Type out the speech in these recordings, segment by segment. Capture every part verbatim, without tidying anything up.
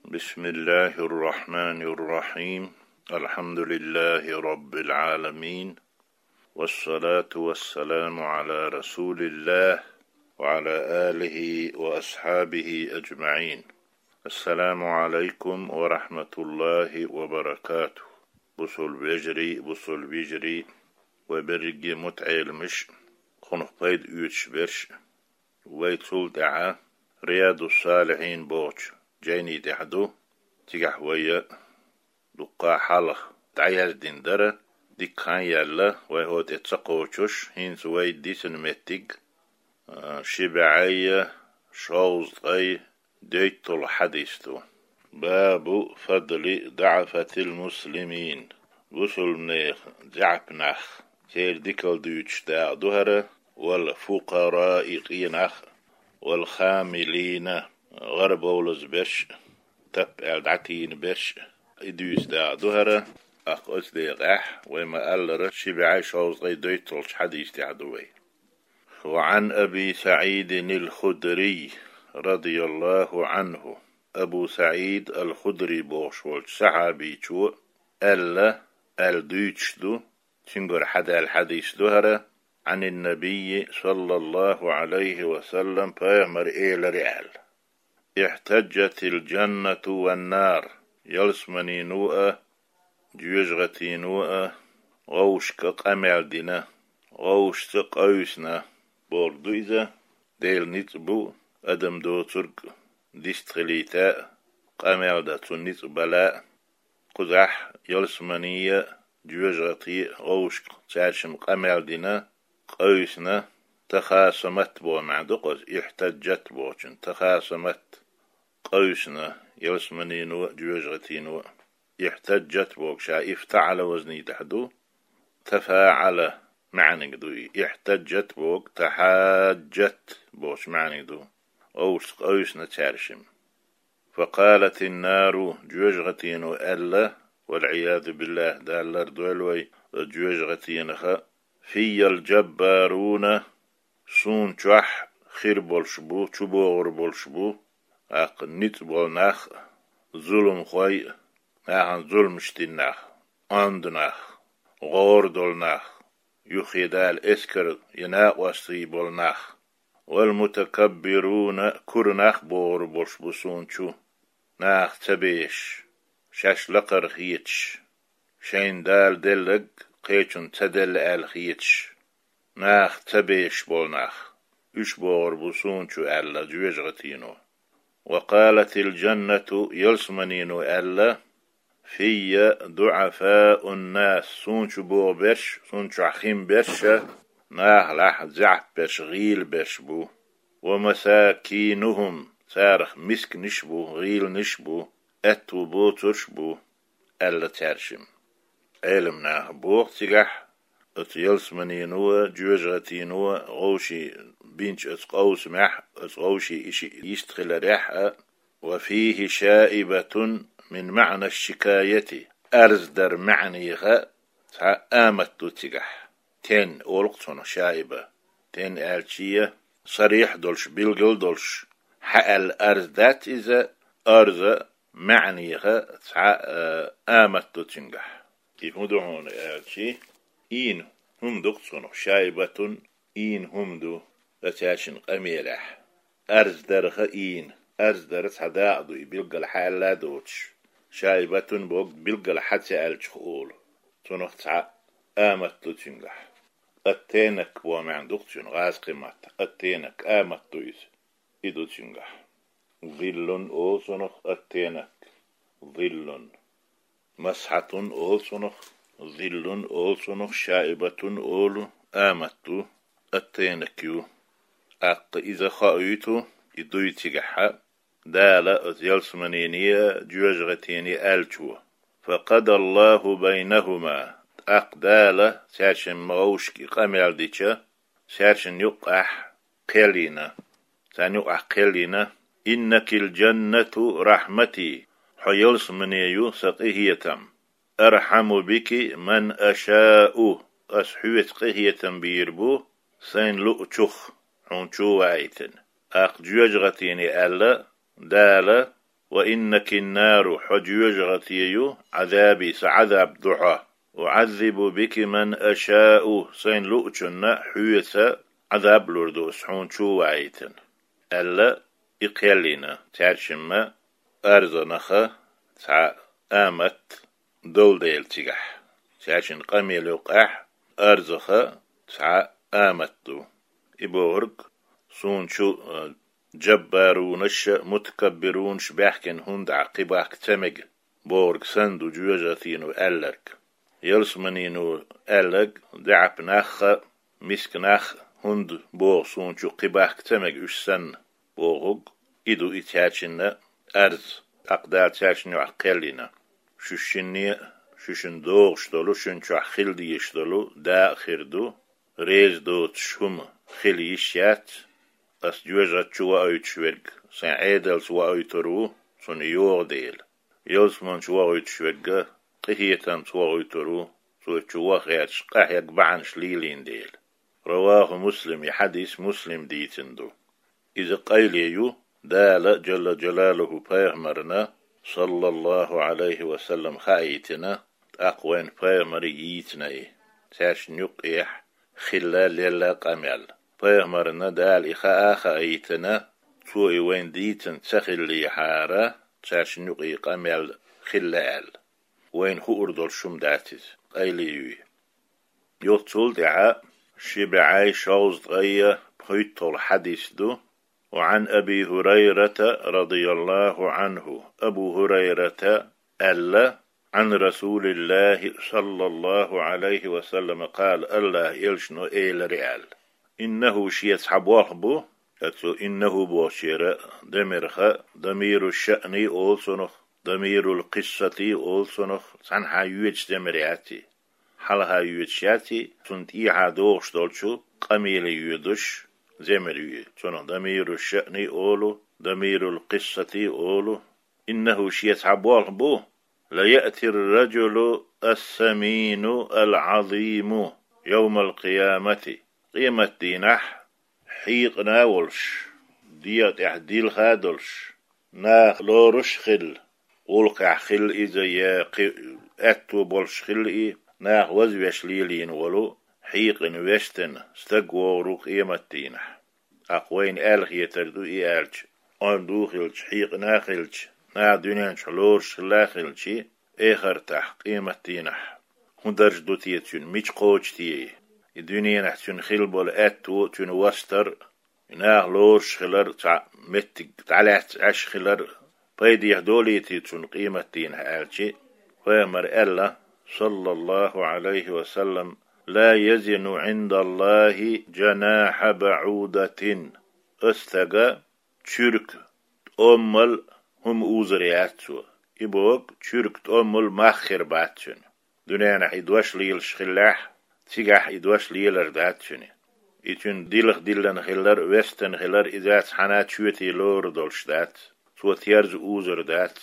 بسم الله الرحمن الرحيم. الحمد لله رب العالمين. والصلاة والسلام على رسول الله وعلى آله وأصحابه أجمعين. السلام عليكم ورحمة الله وبركاته. Бусалба вежарий, бусалба йижарий, вай берриге мутаӀеламаш, кхунах пайда оьцуш берш. Вай цул тӀаьхьа Риядус-Салихьин бохучу жайни тӀехь ду. Цигахь вай дуккха хьалха дӀаяздина дара, дикка хан яьлла, вай хӀокху тӀе ца кхочуш, хӀинца вай дисина меттиг, а, ши бӀе шовзткъе дейтталгӀа хьадис ду. باب فضل ضعفة المسلمين. Бусалбанех заьӀап нах, церан дикалла дуьйцуш дакъа ду хӀара, والفقراء къе нах, والخاملين гӀарабовлаза берш, тап аьлла дӀатийна берш, и дуьйцу дакъа ду хӀара, тӀаккха оцу декъехь, вай ма-аллара, ши бӀе шовзткъе дейтталгӀачу хьадис тӀехь ду вай. وعن أبي سعيد الخدري رضي الله عنه. Абу СаӀид ал-Худри бохуш волчу сахьабичо аьлла, аьлла дуьйцуш ду, цуьнгара хьадаьлла хьадис ду хӀара, عن النبي صلى الله عليه وسلم, пайхамара элира аьлла: احتجت الجنة والنار, ялсаманино а, жоьжахатино а вовшашка къамел дина, вовшашца къевсина, бохург ду иза, Делан ницкъ бу, адам доцург дистхилийта а, къамел дан цунна ницкъ бала а, кхузахь ялсамани а, жоьжахати а вовшашка цаьршимма къамел дина, къевсина, تخاصمت боху маьӀна ду кхуза, احتجت бохучун, تخاصمت, къевсина, ялсаманино а, жоьжахатино а. احتجت боху ша افتعل وزني тӀехь ду, تفاعل маьӀниг ду и. احتجت боху تحاجت бохучу маьӀниг ду. Вовшашца къевсина цаьршимма. فقالت النار, жоьжахатино аьлла, والعياذ بالله, Дала лардойла вай жоьжахатинах: في الجبارون, суна чохь хир болуш бу, чубогӀур болуш бу, тӀаккха ницкъ болу нах а, зуламхой а, нахана зуламаш дина нах, онда нах, гӀора долу нах, юххе Дала эскар я накъостий болу нах, والمتكبرون, кура нах богӀур болуш бу суна чу, наха ца бешаш, шаьш лакхара хеташ, шайна Дала делларг кхечунна ца делла аьлла хеташ, наха ца бешаш болу нах, уьш богӀур бу суна чу аьлла жоьжахатино. وقالت الجنة, ялсаманино аьлла: في ضعفاء الناس, суна чу богӀу берш, суна чохь хин берш а, нахалахь заьӀап берш, гӀийла берш бу. ومساكينهم, царах мисканаш а бу, гӀийланаш а бу, аьтту боцурш а бу, аьлла цаьршимма. Ӏелам наха боху цигахь, оцу ялсаманино а, жоьжахатино а вовшийн бинчу оцу къовсамехь, оцу вовшийн и шиъ йистхиларехь а, وفيه شائبة من معنى الشكاية, арз дар маьӀнех цхьа амат ду цигахь. Тен олу-кх цунах шаиба. Тен аьлча, сарихь долуш, билгал долуш, хьааьлла арз дац иза, арза маьӀнеха цхьа, а, амат ду цуьнгахь. И хӀун ду хьуна аьлчи, ийна хӀума ду-кх цунах, шаибатун ийна хӀума ду, цаьршинна къамелехь. Арз дарха ийна, арз дара цхьа дакъа ду, и билггала хьаьлла а доцуш. Шаибатун богу билггала хьа ца аьллачух олу. Цунах цхьа амат ду цуьнгахь. Аттенак боху маьӀна ду-кх цуьнан гӀазкхийн маттахь. Аттенак, амат ду иза. И ду цуьнгахь. Зиллун олу цунах аттенак. Зиллун. Масхьатун олу цунах. Зиллун олу цунах. Шаибатун олу, амат ду, аттенак ю. ТӀаккха иза хоуьйту, и дуй цигахьа, Дала оцу ялсаманене а, жоьжахатене а аьллачо. فقضى الله بينهما. ТӀаккха Дала цаьршимма вовшашка и къамел дича, цаьршинна юккъехь кхел йина. Царна юкъахь кхел йина: إنك الجنة رحمتي. Хьо ялсамане ю сан къинхетам. أرحم بك من أشاء. Ас хьоьца къинхетам бийр бу сайн луучух, хьуна чу а ваийтина. ТӀаккха жоьжахатене аьлла Дала: وإنك النار, хьо жоьжахати ю, عذابي, сан Ӏазап ду хьо, أعذب بك من أشاء, сайна луучунна хьоьца Ӏазап лур ду ас хьуна чу ваийтина, аьлла, и кхел йина, цаьршимма арзанаха цхьа амат долу дела цигахь. Цаьршинна къамел юкъахь арзаха цхьа амат ду. И бохург суна чу, а, джаббарунаш а, мутакаббирунаш а баьхкина хӀунда Ӏа кхин бахка ца мега бохург санна ду жоьжахатино аьлларг. Ялсаманино аьлларг даьӀахк нах а, миска нах а хӀунда боху суна чу кхин бахка ца мега уьш санна бохург, и ду и цаьршинна арз, тӀаккха Дала цаьршинна юкъахь кхел йина. Шу шинне а, шуьшинна догӀуш долу, шуна чохь хила дезаш долу дакъа хир ду, реза доцуш хӀума хила йиш яц, ас жоьжахати чу воуьйтуш верг сайн Ӏедалца воуьйтур ву, цунна йогӀу дела. Ялсамани чу воуьйтуш верг къинхетамца воуьйтур ву, цо чу ваха гӀерташ къахьегна бахьанаш лелийна дела. رواه مسلم, и хьадис Муслима дийцина ду. Иза къайле ю, Дала, джалла джалалуху, пайхамарна, саллаллаху Ӏалайхи ва саллам, хаийтина, тӀаккха вайна пайхамаре йийцина и, цаьршинна юккъехь хилла лелла къамел. Пайхамарна Дала и хаа а хаийтина, цо и вайна дийцина ца хиллехьара, цаьршинна юкъа и къамел хилла аьлла. Вайна хуур долуш хӀума дац иза, къайле ю и. Юха цул тӀаьхьа ши бӀей шовзткъе пхийтталгӀа хьадис ду. وعن أبي هريرة رضي الله عنه, Абу ХӀурайрата аьлла, عن رسول الله صلى الله عليه وسلم قال, АллахӀан элчано элира аьлла: إنه, шен цхьа болх бу, оцу إنه бохучеран дамирах ضمير الشأن олу цунах, ضمير القصة олу цунах, цхьанхьа йоьдуш дамир яц и. Хьалха йоьдуш яц и, цунна тӀехьа догӀуш долчу къамеле йоьдуш, замир ю и. Цунах ضمير الشأن олу, ضمير القصة олу. إنه, шен цхьа болх бу, ليأتي الرجل السمين العظيم يوم القيامة. Къематдийнахь хьекъина а волуш, дегӀа тӀехь дилха а долуш, наха лоруш а хилла, гӀуллакхехь хилла иза я кхин аьтто болуш хилла и, наха вазвеш лелийна волу, хьекъина вестина стаг вогӀур ву къематдийнахь. ТӀаккха вайна аьлла хетар ду и аьлча, онда а хилча, хьекъина а хилча, наха дуьнен чохь лоруш хилла а хилча, эхартахь, къематдийнахь хӀун дарж ду те цуьнан, мича кхочу те и? И дуьненахь цуьнан хилла болу аьтто а, цуьнан вастар а, и наха лоруш хилар а, цхьа меттиг дӀалаьцна Ӏаш хилар а пайдехь долуьйтий цунна къематдийнахь аьлча, пайхамара аьлла, саллаллаху Ӏалайхи ва саллам: لا يزن عند الله جناح بعوضة. Оцу стага чуьрка тӀоммал хӀума узур яц цо. И боху, чуьрка тӀоммал мах хир бац цуьнан. Дуьненахь и дош лелаш хиллехь, цигахь и дош лелар дац цуьнан. И цуьнан дилха диллина хилар а, вестина хилар а, иза цхьана а чоьте лорур долуш дац. Цо терза узур дац.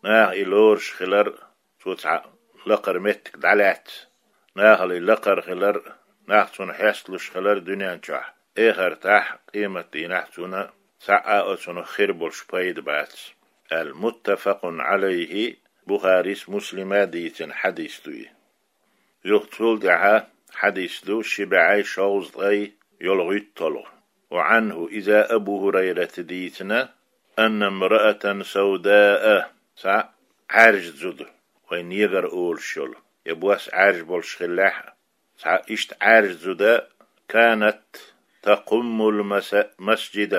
Наха и лоруш хилар а, цо цхьа лакхара меттиг дӀалаьцна, нахала и лакхара хилар а, нах цунна хьесталуш хилар а дуьнен чохь, эхартахь, къематдийнахь цунна цхьа а оцунах хир болуш пайда бац, аьлла. متفق عليه, Бухарис, Муслима дийцина хьадис ду и. Юха цул тӀаьхьа хьадис ду ши бӀей шовзткъе ялхитталгӀа. وعنه, иза Абу ХӀурайрата дийцина, أن امرأة سوداء, цхьа Ӏаьржа зуда, вайн негр олуш йолу, я бос Ӏаьржа болуш хиллехь а, цхьа иштта Ӏаьржа зуда, كانت تقم المس-, المسجد,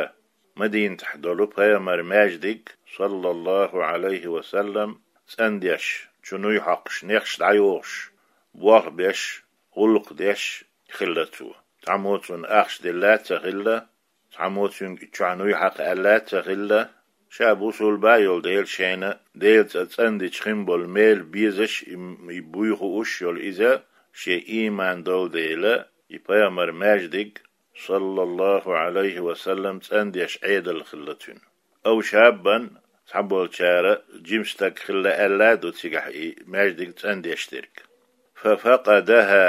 Мадинатехь долу пайхамаран маьждиг, саллаллаху Ӏалайхи ва саллам, цӀандеш, чу нуй хьокхуш, нехаш дӀайохуш, болх беш, гӀуллакх деш хилла цо. Цхьаммо цунна ахча делла а ца хилла, цхьаммо цуьнга чохь нуй хьакха аьлла а ца хилла, ша бусулба йолу дела шайна Делан цӀа цӀандича хин болу мел безаш и, и буй хууш йолу иза, шен ийман долу дела, и пайхамаран маьждиг, саллаллаху Ӏалайхи ва саллам, цӀандеш Ӏедал хилла цуьнан. أو شابا, цхьаболчара жима стаг хилла аьлла а ду цигахь и маьждиг цӀандеш дерг. ففقدها,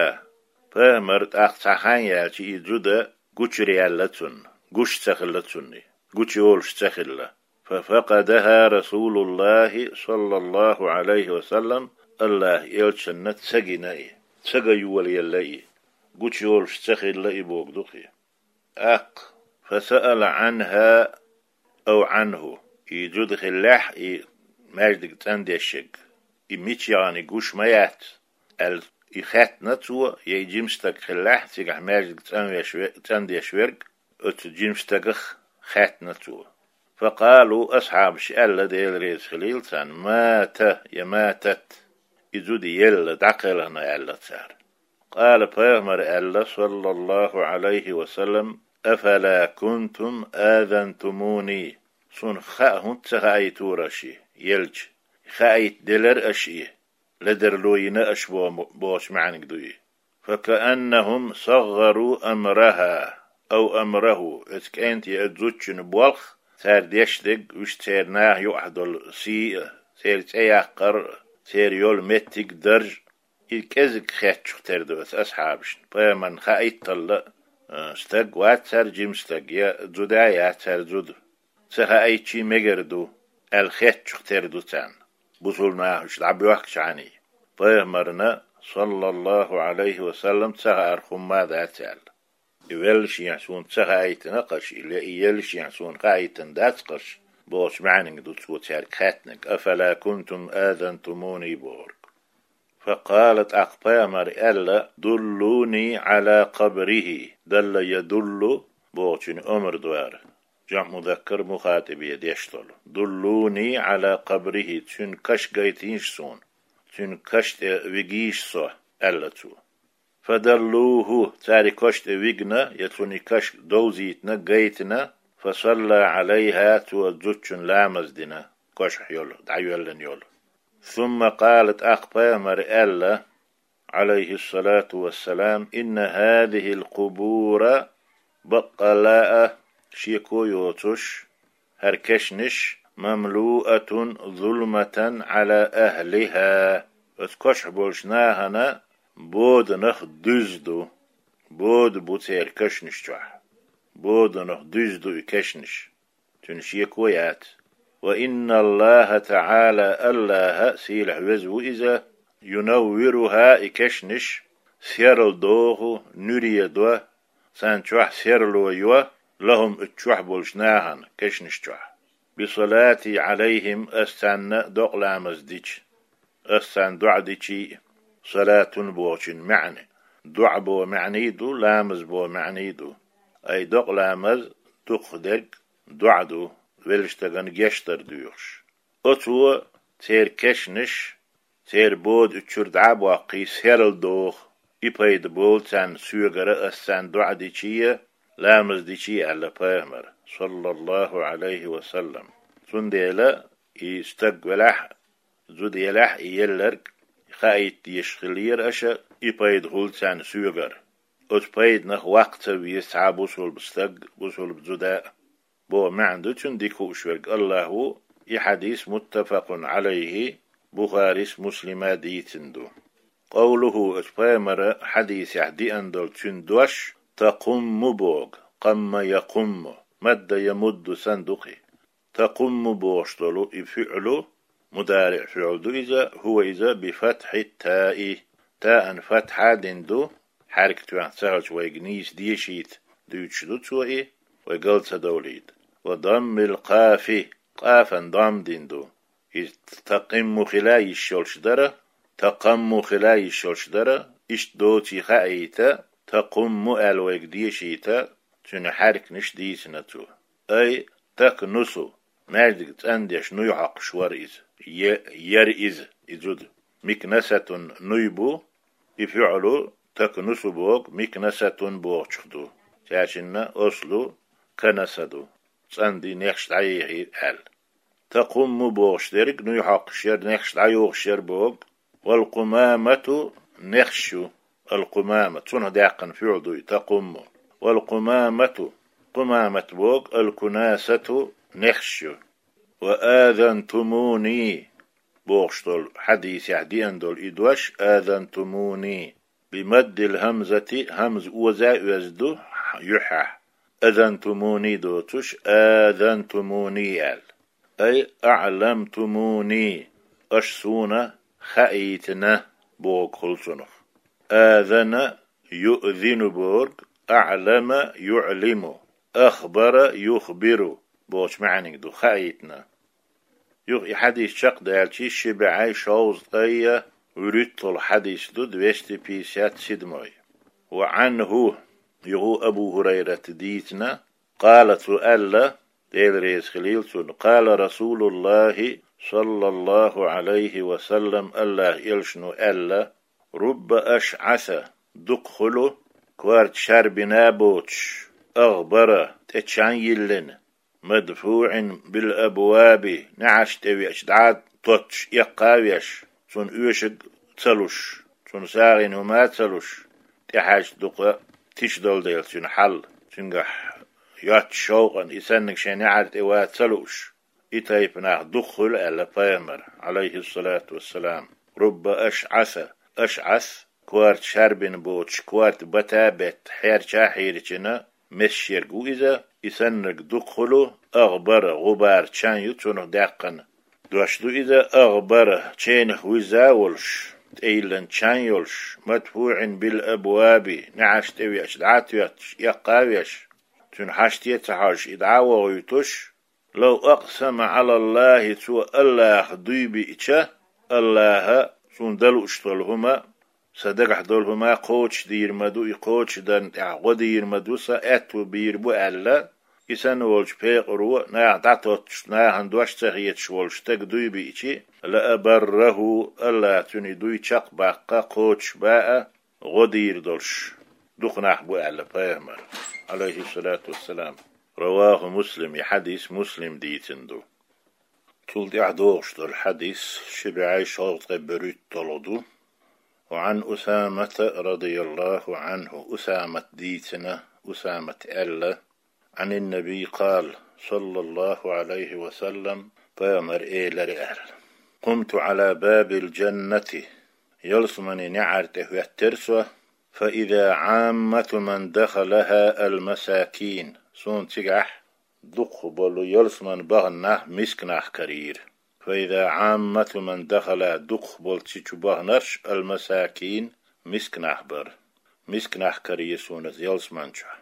пайхамар тӀаккха цхьа хан яьлча и зуда гучуьра яьлла цунна, гуш ца хилла цунна, гучуйолуш ца хилла. ففقدها رسول الله صلى الله عليه وسلم, Аллахьа элчанна ца гина и, ца ган йолаелла и, гучайолуш ца хилла и бохург ду-кх и. ТӀаккха, فسأل عنها أو عنه, и зуда хиллехь, и маьждиг цӀандешверг, и мича яхана гуш ма яц, аьлла, и хаьттина цо, я и жима стаг хиллехь, цигахь маьждиг цӀанвеш ве-, цӀандеш верг, оцу жима стагах хаьттина цо. فقالوا, асхьабаша аьлла, Дела реза хилийла царна: مات, я ماتت, и зуда елла, дӀакхелхина, аьлла цара. قال, пайхамара аьлла, صلى الله عليه وسلم: أفلا كنتم آذنتموني, суна хаа хӀунда ца хаийтора аша и, елча? Хаийта делара аша и, ледарло йина аша бо-, бохучу маьӀниг ду и. فكأنهم صغروا أمرها أو أمره, оцу кӀентан я оцу зудчун болх, цара деш дерг, уьш церан наха юкъахь долу сий а, церан цӀе яккхар а, церан йолу меттиг а, дарж а, и кӀезиг хеттачух тера ду оцу асхьабашна, пайхамарна хаийтталла а, стаг вац цара жима стаг, я зуда яц цара зуда. Ца хаийтича мегар ду, аьлла хеттачух тера ду царна, бусулба наха уьш дӀабоьхкичхьана. Пайхамарна, صلى الله عليه وسلم, ца хаарх хӀумма а дац аьлла. И веллашехь суна ца хаийтина-кх аша, или и еллашехь суна хаийтина дац-кх аша, бохучу маьӀниг ду цо цаьрга хаьттинарг, أفلا كنتم آذنتموني бохург. فقال, тӀаккха пайхамара аьлла: دلوني على قبره, دل يدل бохучун омра ду хӀара, жамӀ музаккар мухатӀабе деш долу. دلوني على قبره, цуьнан каш гайтийша суна, цуьнан каш тӀе вигийша со, аьлла цо. فدلوه, цара и каш тӀе вигна, я цунна и каш довзийтина, гайтина, فصلى عليها, цо зудчун ламаз дина, кошахь йолу, дӀайоьллина йолу. ثم قال, тӀаккха пайхамара аьлла, عليه الصلاة والسلام: إن هذه القبور, баккъалла а, шеко йоцуш, хӀара кешнаш, مملوءة ظلمة على أهلها, оцу кошахь болчу нахана боданах дуьзна ду, бода бу церан кешнаш чохь, боданах дуьзна ду и кешнаш. Цуьнан шеко яц. وإن الله تعالى, Аллахь, сийлахь веза ву иза, ينورها, и кешнаш серладоху, нуьре до, царна чохь серло йо, لهم, оцу чохь болчу нахана, кешнаш чохь. بصلاتي عليهم, ас царна докъа ламаз дича, ас царна доӀа дичий а, صلاة бохучун маьӀна, доӀа боху маьӀний ду, ламаз боху маьӀний ду. Ай докъа ламаз дукхахдерг доӀа ду, веллачу стагана гечдар доьхуш. Оцо церан кешнаш, церан бода уьш чуьра дӀа а боккхий, серладоху, и пайда болу царна соьгара, ас царна доӀа дичий а, ламаз дичий а, аьлла пайхамара, صلى الله عليه وسلم. Цундела и стаг велахь а, зуда елахь а, и елларг хаийта дезаш хиллера аша, и пайда хуьлу царна соьгара. Оцу пайданах ваккха ца веза цхьа а бусулба стаг, бусулба зуда а. Боху маьӀна ду цуьнан дика хууш верг Аллахь ву, и хьадис متفق عليه, Бухарис, Муслима дийцина ду. قوله, оцу пайхамара хьадисехь деана долу цуьнан дош, تقم боху, قم يقم, مد يمد санна ду-кх и. تقم бохуш долу и фиӀлу, мудариӀ фиӀл ду иза, هو иза, بفتح التاء, таан фатхьа дина ду, хьаьрка тоьхна ца хилча вайга нийса дешийта дуьйцуш ду цо и, вай гал ца довлийта. وضم القاف, къафан дам дина ду. Иза такъимму хила йиш йолуш дара, такъамму хила йиш йолуш дара, иштта доций хаийта, такъумму аьлла вайга дешийта, цуьнан хьаьрканаш дийцина цо. Ай, такнусу, маьждиг цӀандеш нуй хьокхуш вара иза. Е-, яра иза, и зуда. Микнасатун нуй бу, и фиӀлу такнусу боху, микнасатун бохучух ду. Цаьршинна ослу канаса ду. ЦӀанди нехаш дӀаехий аьлла. Такъумму бохуш дерг нуй хьокхуш яра, нехаш дӀайохуш яра боху. Вал къумамату нехаш ю. Ал къумама, цунах даьккхина фиӀл ду и, такъумму. Вал къумамату, къумамат боху, ал кунасату нехаш ю. Ва азантумуни бохуш долу хьадисехь деана долу и дош, азантумуни. Бимаддил хӀамзати, хӀамза оза а оьзна ду юьххьехь. Азантумуни доцуш, азантумуни аьлла. أي أعلمتموني, аша суна хаийтина бохург хуьлу цунах. آذن يؤذن бохург, أعلم يعلم, أخبر يخبر бохучу маьӀниг ду, хаийтина. Юха и хьадис чекхдаьлча, ши бӀе шовзткъе вуьрхӀитталгӀа хьадис ду, двести пятьдесят седьмой. وعنه, юха Абу ХӀурайрата дийцина, قال, цо аьлла, Дела реза хилийла цунна: قال رسول الله صلى الله عليه وسلم, АллахӀан элчано аьлла: رب أشعث, дукха хуьлу корта шарбина а боцуш, أغبر, тӀе чан йиллина, مدفوع بالأبواب, неӀарш тӀе веача дӀа а тоттуш, эккха а веш, цунна оьшург ца луш, цунна сагӀина хӀума а ца луш, тӀехьаьжча дукха тиша долу дела цуьнан хьал, цуьнгахь йоцчу шовкъан и санниг шайн неӀар тӀе ван ца лууш, и тайпа нах дукха хуьлу аьлла пайхамара, عليه الصلاة والسلام. رب أشعث, أشعث, корта шарбина боцуш, корта бата а бетта, хьерча а хьийричина, месаш ерг ву иза, и саннарг дукха хуьлу, أغبر, гӀубар чан ю цунах даьккхина. Дош ду иза, أغبر, ченах вуьзза а волуш, тӀейиллина чан йолуш, مدفوع بالأبواب, неӀарш тӀе веача дӀа а тоьттуш, эккха а веш, цуьнан хьаште а ца хьожуш, и дӀа а вохуьйтуш, لو أقسم على الله, цо АллахӀах дуй биъча, АллахӀа, суна дан лууш долу хӀума, сан дагахь долу хӀума кхочушдийр ма ду, и кхочушдарна тӀехь гӀо дийр ма ду, сан аьтту бийр бу аьлла, и санна волчу пекъаро, наха дӀатоттуш, нахана дош ца хеташ волу стага дуй биъча, لأبره, АллахӀа цуьнан и дуй чекхбаккха, кхочушбан а, гӀо дийр долуш дукха нах бу аьлла пайхамара, عليه الصلاة والسلام. رواه مسلم, и хьадис Муслима дийцина ду. Цул тӀаьхьа догӀуш долу хьадис ши бӀе шовзткъе берхӀитталгӀа ду. وعن أسامة رضي الله عنه, Усамата дийцина, Усамата аьлла, عن النبي قال صلى الله عليه وسلم, пайхамара элира аьлла: قمت على باب الجنة, ялсаманин неӀар тӀе хӀоьттира со, فإذا عامة من دخلها المساكين, суна цигахь дукхахболу ялсаманин бахана нах миска нах карийра. فإذا عامة من دخلها, дукхахболу цу чу баханарш, المساكين, миска нах бара. Миска нах карийра суна ялсамани чохь.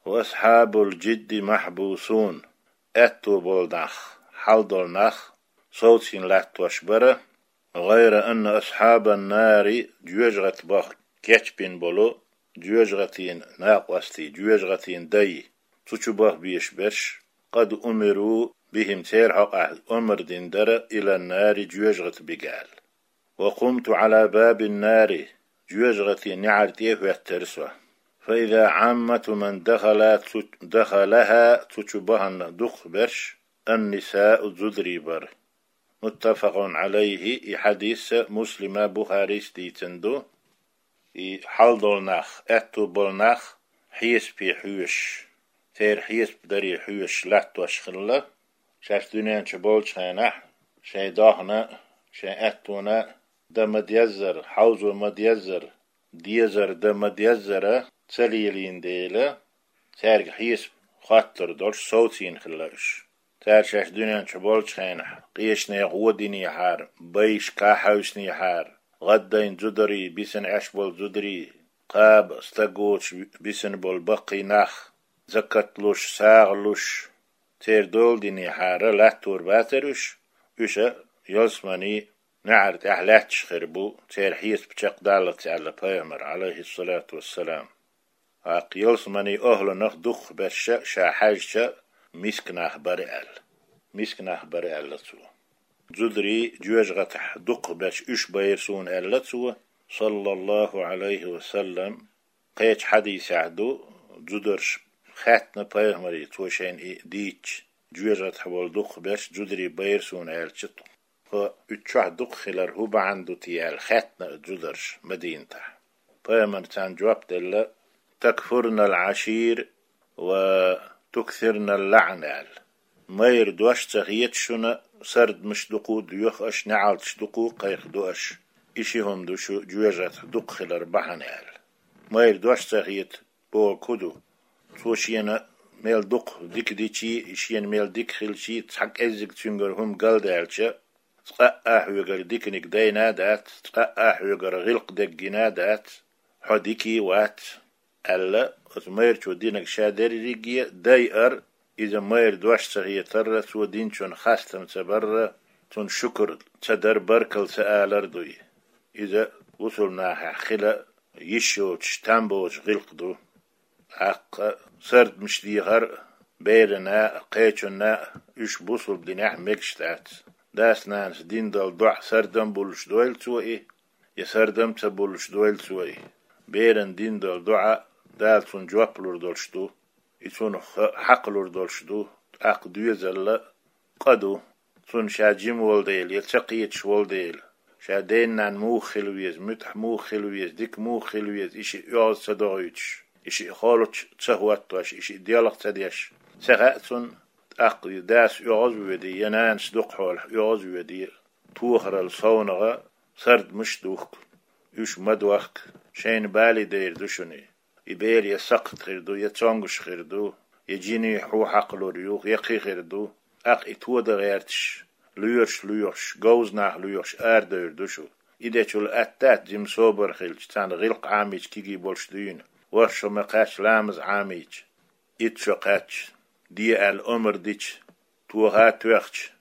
وأصحاب الجد محبوسون, аьтту болу нах, хьал долу нах совцийна латтош бара. غير أن أصحاب النار, жоьжахати баха кечбина болу жоьжахатин накъостий, жоьжахатин дай, цу чу баха безаш берш, قد أمروا بهم, церан хьокъехь омра дина дара, إلى النار, жоьжахати бига аьлла. وقمت على باب النار, жоьжахатин неӀар тӀе а хӀоьттира со. فإذا عامة من دخل, цу, دخلها, цу чу бахана дукхахберш, النساء, зударий бара. متفق عليه, и хьадис Муслима, Бухарис дийцина ду. И хьал долу нах, аьтту болу нах хьесапе хьоьжуш, церан хьесап даре хьоьжуш латтош хилла, шаьш дуьнен чу болчу хенахь, шайн дохна, шайн аьттуна дан ма-деззара, хьовзо ма-деззара, дезар дан ма-деззара ца лелийна дела, цаьрга хьесап хоттур долуш совцийна хилла уьш. Цара шаьш дуьнен чу болчу хенахь, къечу нехан гӀо динехьара, байшка хьаьвсинехьара, гӀаддайна зударий, бисина Ӏеш болу зударий, кхаба, стаг воцуш бисина болу баккхий нах, закат луш, сагӀа луш, церан дола динехьара латтор бацара уьш, уьш а ялсаманин неӀар тӀехь лаьтташ хир бу, церан хьесап чекхдаллалц аьлла пайхамара, Ӏалайхиссалату вассалам. ТӀаккха ялсаманин охӀланах дукхахберш ша хьаьжча, миска нах бара аьлла. Миска нах бара аьлла цо. Зударий жоьжахатехь дукхахберш уьш байра суна аьлла цо, саллаллаху Ӏалайхи ва саллам. Кхечу хьадисехь ду, зударша хаьттина пайхамаре, цо шайна и дийцча, жоьжахатехь болу дукхахберш зударий байра суна аьлча, тхо уьш чохь дукха хилар хӀун бахьана ду те аьлла, хаьттина зударша Мадинатехь. Пайхамара царна жоп делла: تكفرن العشير وتكثرن اللعن аьлла. Майра дош ца хета шуна, сардамаш дукха а доьху аша, неӀалташ дукха а кхайкхадо аша. И ши хӀума ду шу жоьжахатехь дукха хилар бахьана аьлла. Майра дош ца хета бохург хӀун ду? Цо шена мел дукха дика дичий, шена мел дика хилчий, цхьа кӀеззиг цуьнгара хӀума галдаьлча, цкъа а хьоьгара диканиг дайна а дац, цкъа а хьоьгара гӀиллакх деггина а дац, хьо дикий вац, аьлла, оцу майрачо динарг ша дерриге а дайар, иза майра дош ца хетарра, цо динчун хастам ца барра, цунна шукр ца дар, баркалла ца алар дуй. Иза бусулнахьехь хила йиш йоцуш, там боцуш гӀиллакх ду. ТӀаккха сардамаш дехар берана а, кхечунна а, уьш бусулба динехь мегаш дац. Дас-нанас дина долу доӀа сардам буллуш дойла цо и, я сардам ца буллуш дойла цо и. Берана дина долу доӀа Дала цунна жоп лур долуш ду, и цунах хьакхалур долуш ду, тӀаккха доьзалла къа ду. Цунна ша жима волу дела, я ца кхеташ волу дела, ша ден-нанна муха хила веза, муьтӀахь муха хила веза, дика муха хила веза, и шиъ оьгӀаз ца догӀуьйтуш, и шиъ холчу ца хӀоттош, и шиъ делха ца деш, ца хаьа цунна, тӀаккха и дас оьгӀаз а воьдий, я нанас дукха хьолахь оьгӀаз а воьдий, тохарал совнагӀа сардамаш а духку, уьш ма дохку, шайна бале дайр ду шуна и. И бер я сакхт хир ду, я цомгуш хир ду, я жиний хьу хьакхалур ю, я кхин хир ду. ТӀаккха и тодан гӀерташ, лоьраш лоьхуш, говза нах лоьхуш арадевр ду шу. И дечул атта дац жима собар хилча, царна гӀиллакх Ӏамийча кегий болуш дуьйна, ворхӀ шо ма кхаьчча ламаз Ӏамийча, итт шо кхаьчча, де аьлла омра дича, тоха а тоьхча,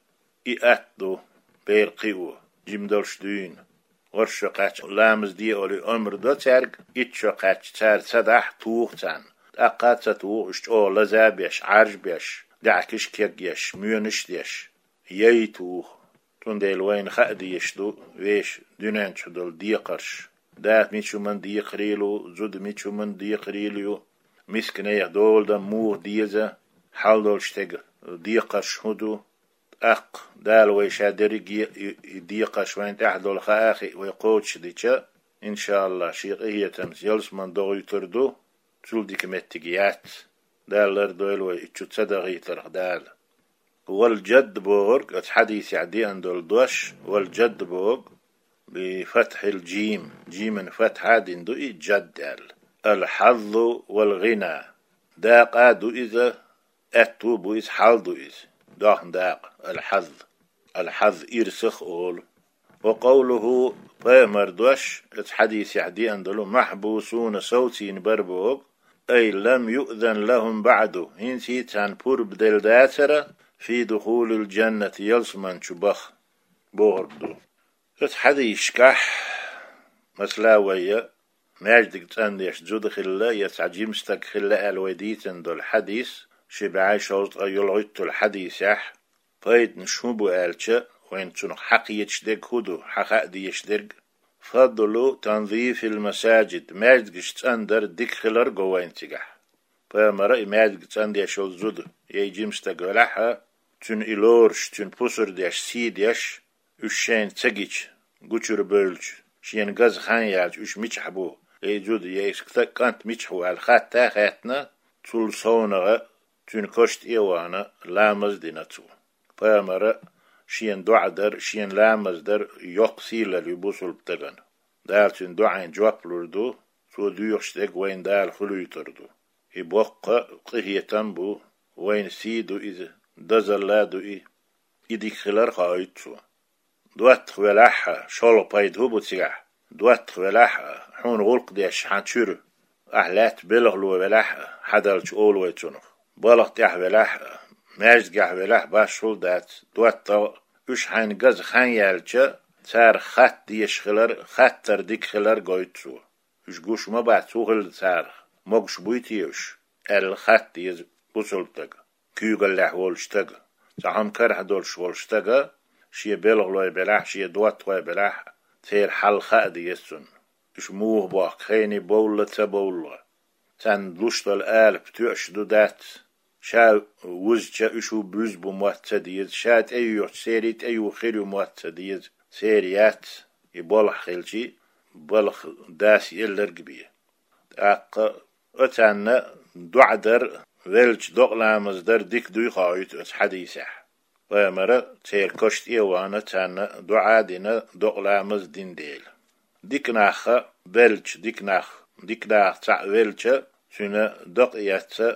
и атта ду, бер кхио, жима долуш дуьйна. ВорхӀ шо кхаьчча ламаз де олий омра до цаьрга, итт шо кхаьчча цара ца дахь, туха царна. ТӀаккха а ца туха, уьш чӀогӀа лаза а беш, Ӏаржа а беш, даьӀахкаш а кегъеш, моьнаш а деш, яй туха. Цундела вайна хаа дезаш ду вешан дуьнен чу долу декхарш. Да мича хӀуманна декхарийлла ву, зуда мича хӀуманна декхарийлла ю, мисканех доладан муха деза, хьал долуш стеган декхарш хӀун ду. ТӀаккха Дала вай ша дерриге а и, и декхарш вайна тӀехь долу хаа а хиъна вай кхочушдича, иншааллахӀ, шен къинхетамца ялсамани догӀуьйтур ду, цул дика меттиг яц. Дала лардойла вай и чу ца дахийтарх Дала. Вал-жадд бохург, оцу хьадисехь деана долу дош, вал-жадд бохург, би фатхьил жим, жиман фатхьа а дина ду и, жадд аьлла. Ал-хьаззу вал-гӀина. Дакъа а ду иза, аьтту а бу иза, хьал ду иза. Дохна дакъа, ал-хьазз. Ал-хьазз ирсах а олу. Ва къовлухӀу, пайхамар дош, оцу хьадисехь деана долу, махьбусуна, совцийна бара бохург, ай лам юъзан лахӀум баӀду, хӀинца а царна пурба делла дацара, фи духулил жаннати, ялсамани чу баха, бохург ду. Оцу хьадисашкахь, масала, вай маьждиг цӀандеш зуда хилла, я цхьа жима стаг хилла аьлла вай дийцина долу хьадис, ши бӀе шовзткъе йолхуьйтталгӀа хьадисехь, пайданаш хӀун бу аьлча, вайна цунах хьакхеташ дерг хӀун ду, хьахаа дезаш дерг? Фадлу танзифил масажид, маьждигаш цӀандар дика хилар го вайна цигахь. Пайхамара и маьждиг цӀандеш йолу зуда, я и жима стаг велахь а, цуьнан и лоруш, цуьнан пусар деш, сий деш, уьш шайна ца гича, гучура бевлча, шена газа хан яьлча, уьш мичахь бу, я и зуда, я и ста-, кӀант мичахь ву аьлла хатта а хаьттина, цул совнагӀа, цуьнан кошан тӀе а вахана, ламаз а дина цо. Пайхамара шена доӀа дар, шена ламаз дар йоккха сийлалла ю бусулба стагана. Дала цуьнан доӀина жоп лур ду, цо доьхуш дерг вайна Дала хуьлуьйтур ду. И боккха къинхетам бу, вайна сий ду иза, дозалла а ду и, и дика хилар хоуьйту цо. ДоттагӀа велахь а, шолгӀа пайда хӀун бу цигахь? ДоттагӀа велахь а, хьуна гӀуллакх деш хьан чуьра, ахь лаьтта белхало велахь а, хьадалча олу вай цунах. БалхӀ тӀехь велахь а, маьждигехь велахь а, башхалла дац, доттагӀа, уьш хьайна газа хан яьлча, царах хатта дезаш хилар, хаттар дика хилар гойту цо. Уьш гуш ма бац, хӀун хилла царах, могуш буй те уьш, аьлла хатта деза бусулба стага, куьйгаллехь волчу стага, цхьа хӀума карахь долуш волчу стага, шен белхалой белахь, шен доттагӀой белахь, церан хьал хаа деза цунна. Уьш муха бохку, хене бовлла, ца бовлла. Царна луш долу алапа тоьаш ду, дац. Ша вузча, уьш ву буьзна бу мотт ца деза, ша тӀеюьйхча, церий тӀеюха хир ю мотт ца деза, церан яц, и болх хилчий, балха дас елларг бен. ТӀаккха оцарна доӀа дар, велча докъа ламаз дар дика дуй хоуьйту оцу хьадисехь. Пайхамара церан кошан тӀе а вахана, царна доӀа а дина, докъа ламаз а дина дела. Дика нах а белча, дика нах, дика нахах цхьаъ велча, цуьнан дакъа эцна,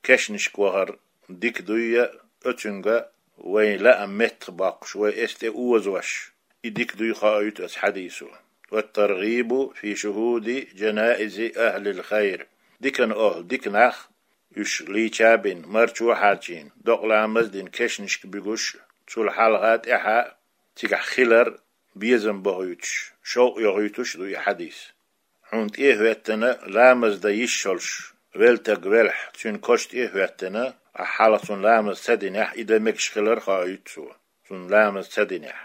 кешнашка вахар дика дуй, оцуьнга вайн лаам меттахбоккхуш, вай эс тӀе озош, и дика дуй хоуьйту оцу хьадисо. والترغيب في شهود جنائز أهل الخير. Дикан охӀла, дика нах, уьш лийча а бина, марчо а хьарчийна, докъа ламаз а дина, кешнашка буьгуш, цул хьалха а, тӀаьхьа а цигахь хилар безам бохуьйтуш, шовкъ йохуьйтуш ду и хьадис. Хьуна тӀе а хӀоьттина, ламаз дан йиш йолуш велла стаг велахь, цуьнан коша тӀе а хӀоьттина, ахь хьалха цунна ламаз ца динехь, и дан мегаш хилар хоуьйту цо, цунна ламаз ца динехь.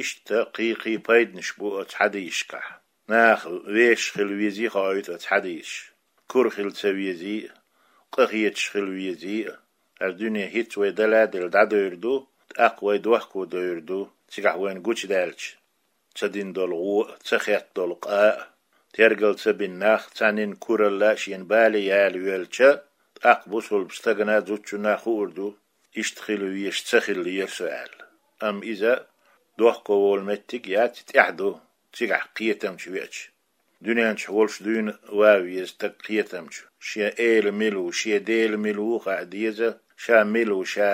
Иштта кхин-кхин пайданаш бу оцу хьадисашкахь. Наха вешаш хила везий хоуьйту оцу хьадисаша. Кура хила ца везий а, къахеташ хила везий а. ХӀара дуьне хӀинца вай даладелла дӀадевр ду, тӀаккха вай дохко девр ду, цигахь вайна гучудаьлча, ца дина долу гӀо а, ца хетта долу къа а, тергал ца бина нах, цхьаннан куралла а шена бале яла йоьлча, тӀаккха бусулба стагана, зудчунна хуур ду, иштта хила везаш ца хиллера со аьлла. Амма иза дохко волу меттиг яц, тӀаьхьа ду, цигахь кхетамчу веача. Дуьнен чохь волуш дуьйна ван веза стаг кхетамчу. Шен эла мила ву, шен Дела мила ву хаа деза, ша мила ву, ша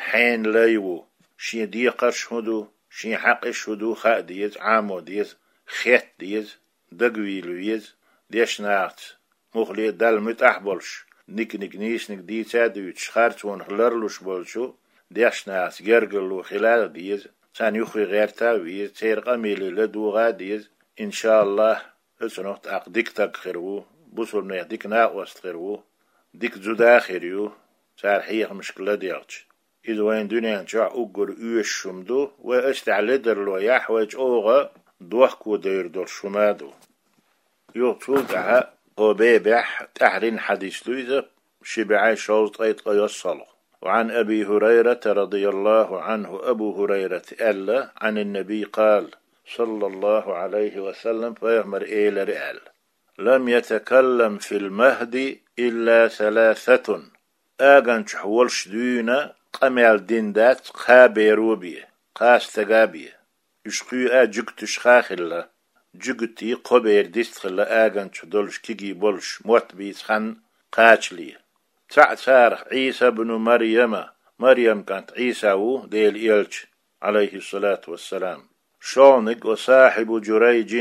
хьенан лай ву, шен декхарш хӀун ду, шен хьакъаш хӀун ду хаа деза, Ӏамо деза, хетта деза, дагавийла веза, дешнахаца муххале а Далла муьтӀахь а болуш, ниг-ниг нийсаниг дийца а дуьйцуш, харцонах ларлуш болчу дешнахаца гергарло хила а деза, царна юххе гӀерта а веза, церан къамеле ладогӀа а деза, иншааллахӀ, оцунах тӀаккха дика стаг хир ву, бусулбанех дика накъост хир ву, дика зуда а хир ю, цара хьехамашка ладегӀча. Иза вайн дуьнен чохь уггар оьшуш хӀума ду, вай оцу тӀехь ледарло яхь, вай чӀогӀа дохко девр долуш хӀума а ду. Юха цул тӀаьхьа хӀокху бебехь тӀаьххьарниг хьадис ду иза, ши бӀе шовзткъе ткъайоьсналгӀа. وعن أبي هريرة رضي الله عنه, Абу ХӀурайрата аьлла, عن النبي قال, صلى الله عليه وسلم, пайхамара элира аьлла: لم يتكلم في المهد إلا ثلاثة. Аган чохь волуш дуьйна къамел дина дац кхаа беро бен, кхаа стага бен. Уьш кхоъ а жуьгташха хилла. Жуьгтий кхо бер дистхилла аган чу долуш, кегий болуш, мотт бийца хан кхачале. Цхьаъ царах Ӏийса бну Марьяма, Марьям кӀант Ӏийса ву, Делан элча, Ӏалайхиссалату вассалам. ШолгӀаниг وصاحب جريج,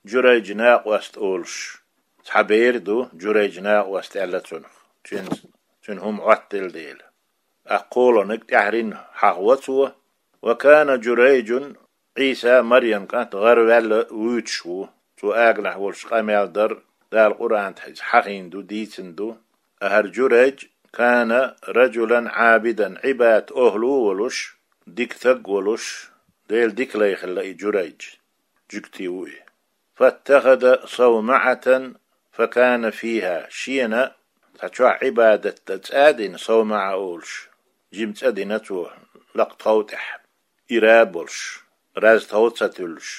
Журайжа накъост олуш. Цхьа бер ду, Журайжа накъост аьлла цунах, цуьнан, цуьнан хӀума Ӏоттаделла дела. ТӀаккха кхоалгӀаниг тӀаьххьарниг хьахаво цо: وكان جريج, Ӏийса, Марьям кӀант, гӀараваьлла вуьйцуш ву. Цо аганахь волуш къамел дар, Дала Къуръан тӀехь иза хьахийна ду, дийцина ду. ТӀаккха хӀара Журайж: كان رجلا عابدا, Ӏибадат охӀла а волуш, дика стаг а волуш, Делан дика лай хилла и Журайж. Жуьгти ву и. فاتخذ صومعة فكان فيها, шена цхьа чохь Ӏибадат дан цӀа а дина, совмаӀа олуш, жима цӀа дина цо лакха тхов тӀехь, ира а болуш, раз тхов ца туьллуш,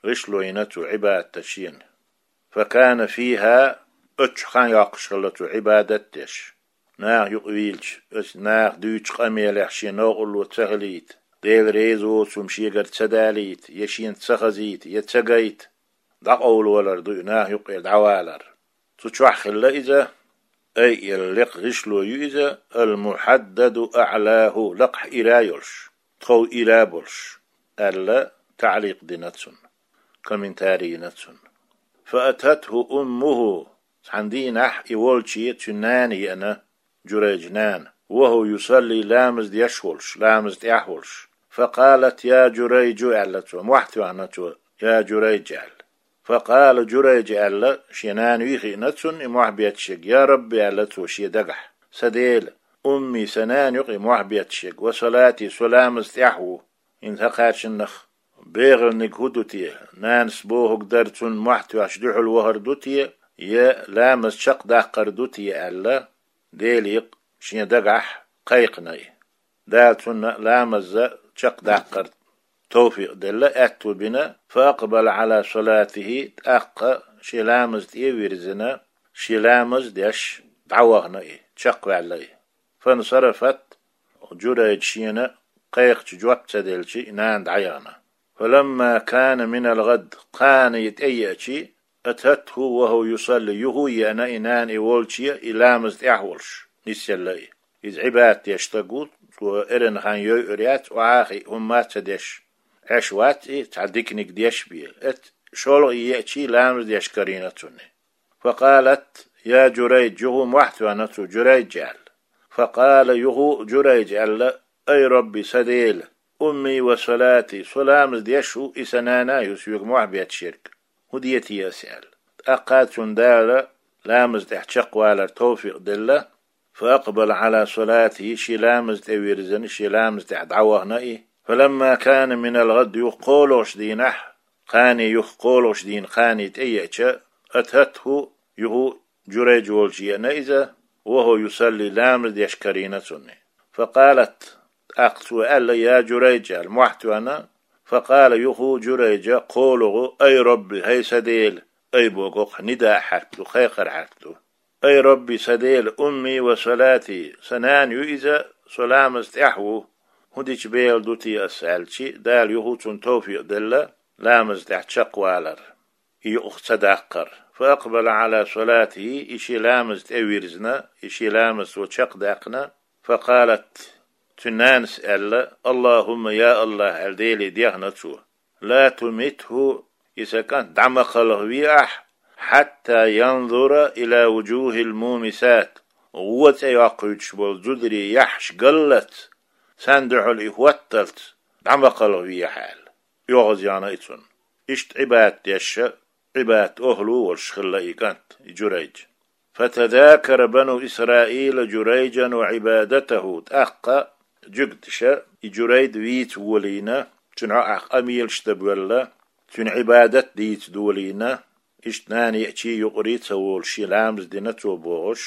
гӀишло йина цо Ӏибадат дан шена. فكان فيها, оццу чохь хан йоккхуш хилла цо Ӏибадат деш. Наха юкъа вийлча, оцу наха дуьйцучу къамелех шен новкъарло ца хилийта, Дела реза воцу хӀума шегара ца далийта, я шена ца хазийта, я ца гайта, дӀакъовлавалар ду и, наха юккъера дӀавалар. Цу чохь хилла иза, ай, элла лекха гӀишло ю иза, المحدد أعلاه, лакхахь ира а йолуш, тхов ира а болуш, аьлла, таӀликъ дина цунна, комментарий йина цунна. فأتته أمه, цхьана дийнахь и волче цуьнан нана еана, Журайжа нана, وهو يصلي, ламаз деш волуш, ламаз тӀехь волуш. فقالت: يا جريج, аьлла цо, мохь тоьхна цо, я Журайж аьлла. فقال جريج, аьлла, шен нана вий хиъна цунна и мохь бетташ ерг, يا رب, аьлла цо шен дагахь, сан Дела, أمي, сан нана ю-кх и мохь бетташ ерг, وصلاتي, со ламаз тӀехь ву. ХӀинца хӀокхаьршиннах бегӀалниг хӀун ду те, нанас бохург дар, цунна мохь тоьхча дуьхьал вахар ду те, я ламаз чекхдаккхар ду те аьлла, Деле шен дагахь кхайкхина и. Дала цунна ламаз чекхдаккхар товфикъ делла, аьтту бина, فأقبل على صلاته, тӀаккха шен ламаз тӀе а вирзина, шен ламаз деш дӀавахана и, чекхваьлла и. فانصرفت, Журайжа шена кхайкхича жоп ца делча, и нана дӀаяхана. فلما كان من الغد, кхана и тӀееача, أتته وهو يصلي, юха а еана и нана и волче, и ламаз тӀехь волуш. нисъелла и. Иза Ӏибадат деш стаг ву, цо эрна хан йойур яц, охьа а хиъна хӀумма а ца деш Ӏеш вац и, цхьа диканиг деш бен. Эццахь шолгӀа еъча ламаз деш карийна цунна. فقالت: يا جريج, юха мохь а тоьхна цо, Журайж аьлла. فقال, юха Журайжа аьлла: أي رب, сан Дела, أمي وصلاتي, со ламаз деш ву, и сан нана а ю соьга мохь бетташ ерг. ХӀун де те ас, аьлла. ТӀаккха цунна Дала ламаза тӀехь чакхвалар товфикъ делла, فأقبل على صلاته, шен ламаза тӀе вирзина, шен ламаза тӀехь дӀавахана и. فلما كان من الغد, юха кхоалгӀачу дийнахь, кхане юха кхоалгӀачу дийнахь кхане тӀееъча, أتته, юха Журайж волчу еана иза, وهو يصلي, ламаз деш карийна цунна. فقالت, тӀаккха цо аьлла: يا جريج, аьлла, мохь а тоьхна. فقال, юха Журайжа кхоалгӀа: أي رب, хӀай сан Дела, أي бохург нидаъ хьарф ду, кхайкхар хьарф ду. أي رب, сан Дела, أمي وصلاتي, сан нана ю иза, со ламаза тӀехь ву, хӀун дича бехал ду те ас, аьлча, Дала юха цунна товфикъ делла ламаза тӀехь чакхвалар, и юкъах ца даккхар. فأقبل على صلاته, и шен ламаза тӀе вирзина, и шен ламаз цо чекхдаьккхина. فقالت, цуьнан нанас аьлла: اللهم, я АллахӀ, аьлла, Деле дехна цо. لا تمته, и сан кӀант дӀа ма кхалхаве ахь, حتى ينظر إلى وجوه المومسات, гӀо цӀе йоккхуьйтуш болу зударий яхьаш галлалц, царна дуьхьал и хӀотталц дӀа ма кхалхаве ахь, аьлла. ОьгӀаз яхна и цунна. Иштта Ӏибадат деш, Ӏибадат охӀла волуш хилла и кӀант, и Журайж. فتذاكر بنو إسرائيل جريجا وعبادته, тӀаккха жуьгташа и Журайж вийца волийна, цуьнан хьокъехь къамелаш дан боьлла, цуьнан Ӏибадат дийца долийна, иштта нана еъча юкъара ца волуш, шен ламаз дина цо бохуш,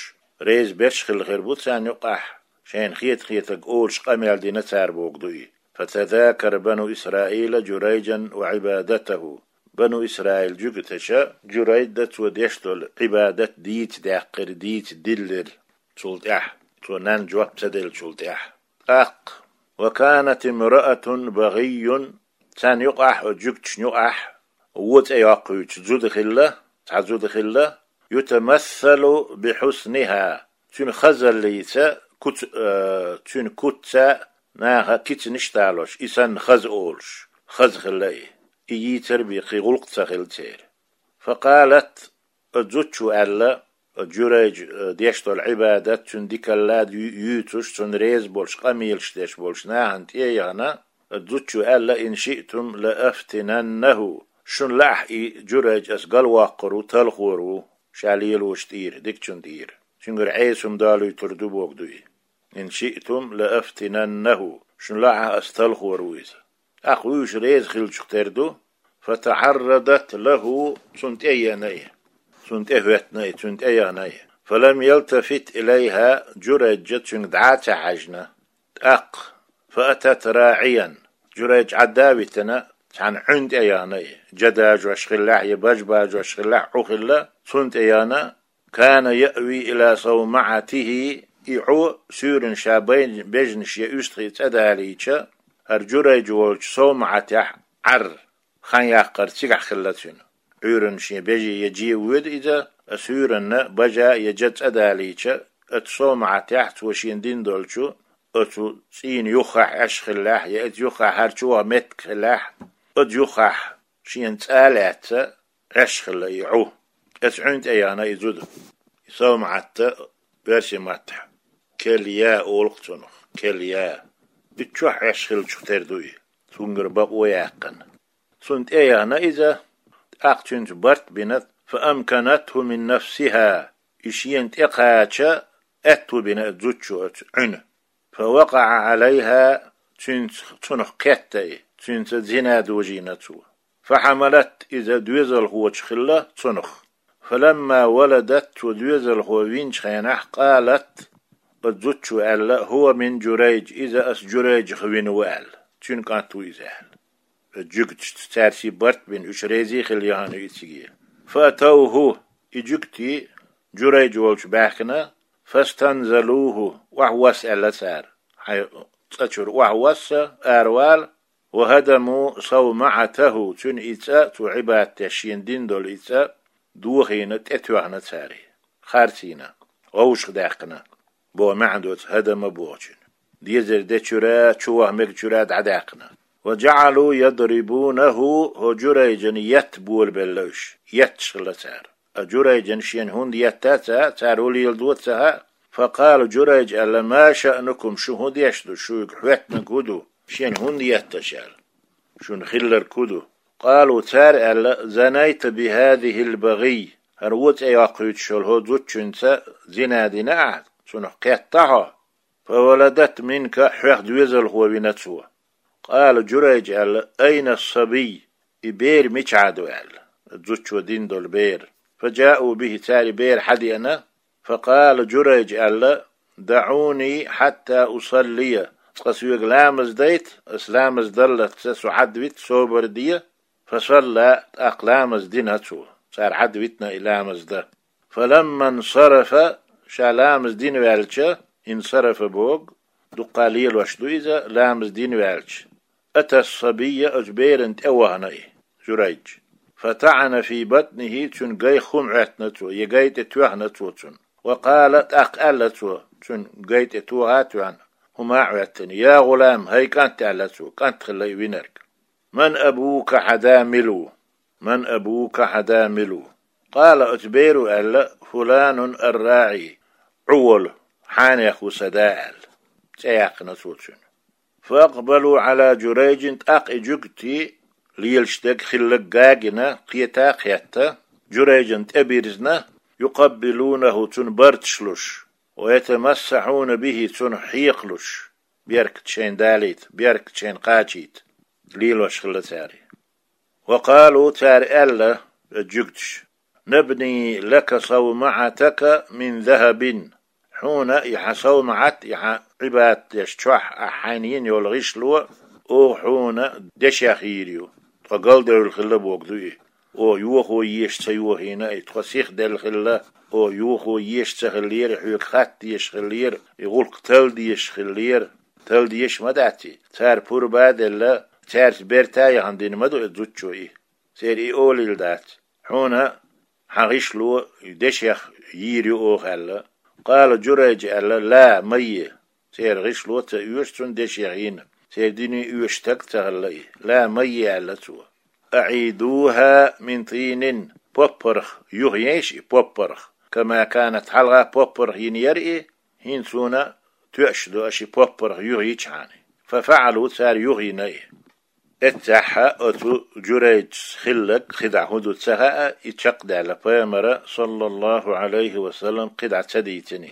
реза берш хилла хир бу царна юкъахь, шайна хета-хетарг олуш къамел дина цара бохург ду и. فتذاكر بنو إسرائيل جريجا وعبادته. Бану Исраил жуьгташа Журайжа цо деш долу Ӏибадат дийца даьккхира, дийца диллира цул тӀаьхьа, цо нанна жоп ца деллачул тӀаьхьа. ТӀаккха: وكانت امرأة بغي, царна юкъахь, оцу жуьгташна юкъахь вон цӀе йоккхуьйтуш зуда хилла, цхьа зуда хилла, يتمثل بحسنها, цуьнан хазаллица, куц-, э, цуьнан куцца наха кицанаш а далош, и санна хаза олуш, хаза хилла и. И йийцар бен кхин гӀуллакх ца хилла церан. فقالت, оцу зудчо аьлла, оцу Журайжа, э, деш долу Ӏибадат, цуьнан дикалла ю-, юьйцуш, цунна реза болуш, къамелаш деш болчу нахана тӀе а яхана, оцу зудчо аьлла: إن شئتم لأفتننه. Шуна лаахь и Журайж ас галвоккхур ву, талхор ву, ша лелочу тӀера, дикачун тӀера. Цуьнгара Ӏеса хӀума далуьйтур ду бохург ду и. إن شئتم لأفتننه. Шуна лаахь ас талхор ву иза. ТӀаккха вуьйш реза хиллачух тера ду. فتعرضت له, цунна тӀе а еана и. Цунна тӀе а хӀоьттина и, цунна тӀе а яхана и. فلم يلتفت إليها, Журайжа цуьнга дӀа а ца хьаьжна. ТӀаккха: فأتت راعيا. Журайж Ӏадда а витина, цхьана Ӏуьнна тӀе а яхана и. Жа дажош хиллехь я бажа бажош хиллехь, Ӏу хилла, цунна тӀе а яхана, كان يأوي إلى صومعته, и Ӏу суьйранна ша бай-, бежана шен уьстагӀий цӀа далийча, хӀара Журайж волчу совмаӀатехь Ӏар хан яккхар цигахь хилла цуьнан. Ӏуьйранна шен беже я же воьду иза, а суьйранна бажа я жа цӀа далийча, оцу совмаӀатехь цо шена дина долчу, оцу цӀийнан юххехь Ӏаш хиллехь, я оцу юххехь хӀара чу ваха меттиг хиллехь, оцу юххехь шена цӀа а лаьцна, Ӏаш хилла и Ӏу. Оцу Ӏуьнна тӀе яхана и зуда. И совмаӀат оьрсийн маттахь келья олу-кх цунах, келья. И чохь Ӏаш хиллачух тера ду и, цуьнгара бакъо яьккхина. Цунна тӀе яхана иза, тӀаккха цуьнца барт а бина, فأمكنته من نفسها, и шена тӀекхача аьтту бина оцу зудчо оцу Ӏуьнан. فوقع عليها, цуьнца, цунах кхетта и, цуьнца зина дожийна цо. فحملت, иза доьзалхочух хилла цунах. فلما ولدت, цо доьзалхо винчу хенахь, قالت, оцу зудчо аьлла: هو من جريج, иза ас Журайжах вина ву аьлла. Цуьнан кӀант ву иза аьлла. Оцу жуьгташца цаьрший барт а бина, уьш резий хилла яхана ю и цига. فأتوه, и жуьгтий Журайж волчу баьхкина, فاستنزلوه, охьавосса аьлла цара. Хьайн цӀа чуьра охьавосса, аравала, وهدموا صومعته, цуьнан и цӀа, цо Ӏибадат деш шена дина долу и цӀа, дохийна, тӀетоьхна цара и, харцийна, вовшахдаьккхина. боху маьӀна доцу, хӀадама бохучун. Дезар дечуьра, чу ваха мегачуьра дӀадаьккхина. وجعلوا يضربونه, хӀо Журайжан етта болабелла уьш, етташ хилла цара. А Журайжан шена хӀунда етта а ца хаьа, цара хӀун леладо а ца хаьа. فقال Журайжа аьлла: ما شأنكم, шу хӀун деш ду, шуьга хӀоьттинарг хӀун ду, шена хӀунда етта аша аьлла, шуна хилларг хӀун ду? قالوا, цара аьлла: زنيت بهذه البغي, хӀара вон цӀе йоккхуьйтуш йолу хӀо зудчуьнца зина дина ахьа, цунах кхетта хьо. فولدت منك, хьоьх доьзалхо вина цо. قال Журайжа аьлла: أين الصبي, и бер мичахь ду аьлла, зудчо дина долу бер. فجاءوا به, цара и бер хьадеана. فقال Журайжа аьлла: دعوني حتى أصلي, цкъа соьга ламаз дайта, ас ламаз даллалц со хьадвита, собар де. فصلى, тӀаккха ламаз дина цо, цара хьадвитина и ламаз дан. فلما انصرف, ша ламаз дина ваьлча, انصرف боху, дуккха лелош ду иза, ламаз дина ваьлча. أتى الصبي, оцу берана тӀе вахана и, Журайж. فطعن في بطنه, цуьнан гайх хӀума Ӏоьттина цо, я гай тӀе тоьхна цо цунна. وقال, тӀаккха аьлла цо, цуьнан гай тӀе тоха а тоьхна, хӀума а Ӏоьттина: يا غلام, хӀай кӀант, аьлла цо, кӀант хилла и винарг. من أبوك, хьан да мила ву? من أبوك, хьан да мила ву? قال, оцу беро аьлла: فلان الراعي, Ӏу волу, хьанех ву сан да аьлла, цӀе яьккхина цо цуьнан. فأقبلوا على جريج, тӀаккха и жуьгтий лелаш дерг хилларг гина, кхета а кхетта, Журайжана тӀе бирзина, يقبلونه, цунна барташ луш, ويتمسحون به, цунах хьекхалуш, беркат шайна далийта, беркат шайна кхачийта, лелош хилла цара. وقالوا, цара аьлла, жуьгташа: نبني لك صومعتك من ذهب, хьуна и хьан совмаӀат, и хьан Ӏибадат деш чохь ахь хьайна йина йолу гӀишло, оха хьуна дешех йийр ю, тхо галдевлла хилла бохург ду и. Оха йохо езаш ца йохийна и, тхо сихделла хилла, оха йохо езаш ца хиллера, хьоьга хатта дезаш хиллера, и гӀуллакх талла дезаш хиллера, талла дезаш ма дац и. Цара пурба а делла, цаьрца берта а яхана дина ма ду и зудчо и. Церан и олийла дац. Хьуна хьан гӀишло дешех йийр ю оха аьлла. قال جريج аьлла: لا, ма е. Церан гӀишло ца оьшу цунна дешех йина. Церан дине оьшу стаг ца хилла и. لا, ма е, аьлла цо. أعيدوها من طين, поппарх юхаейша и, поппарх. كما كانت, хьалха поппарх йина яра и, хӀинца суна тоьаш ду аша и поппарх юхайичхьана. ففعلوا, цара юхайина и. Эццехь оцу Журайжас хилларг кхидӀа хӀун ду ца хаьа, и чекхдаьлла пайхамара, саллаллаху Ӏалайхи ва саллам, кхидӀа ца дийцина.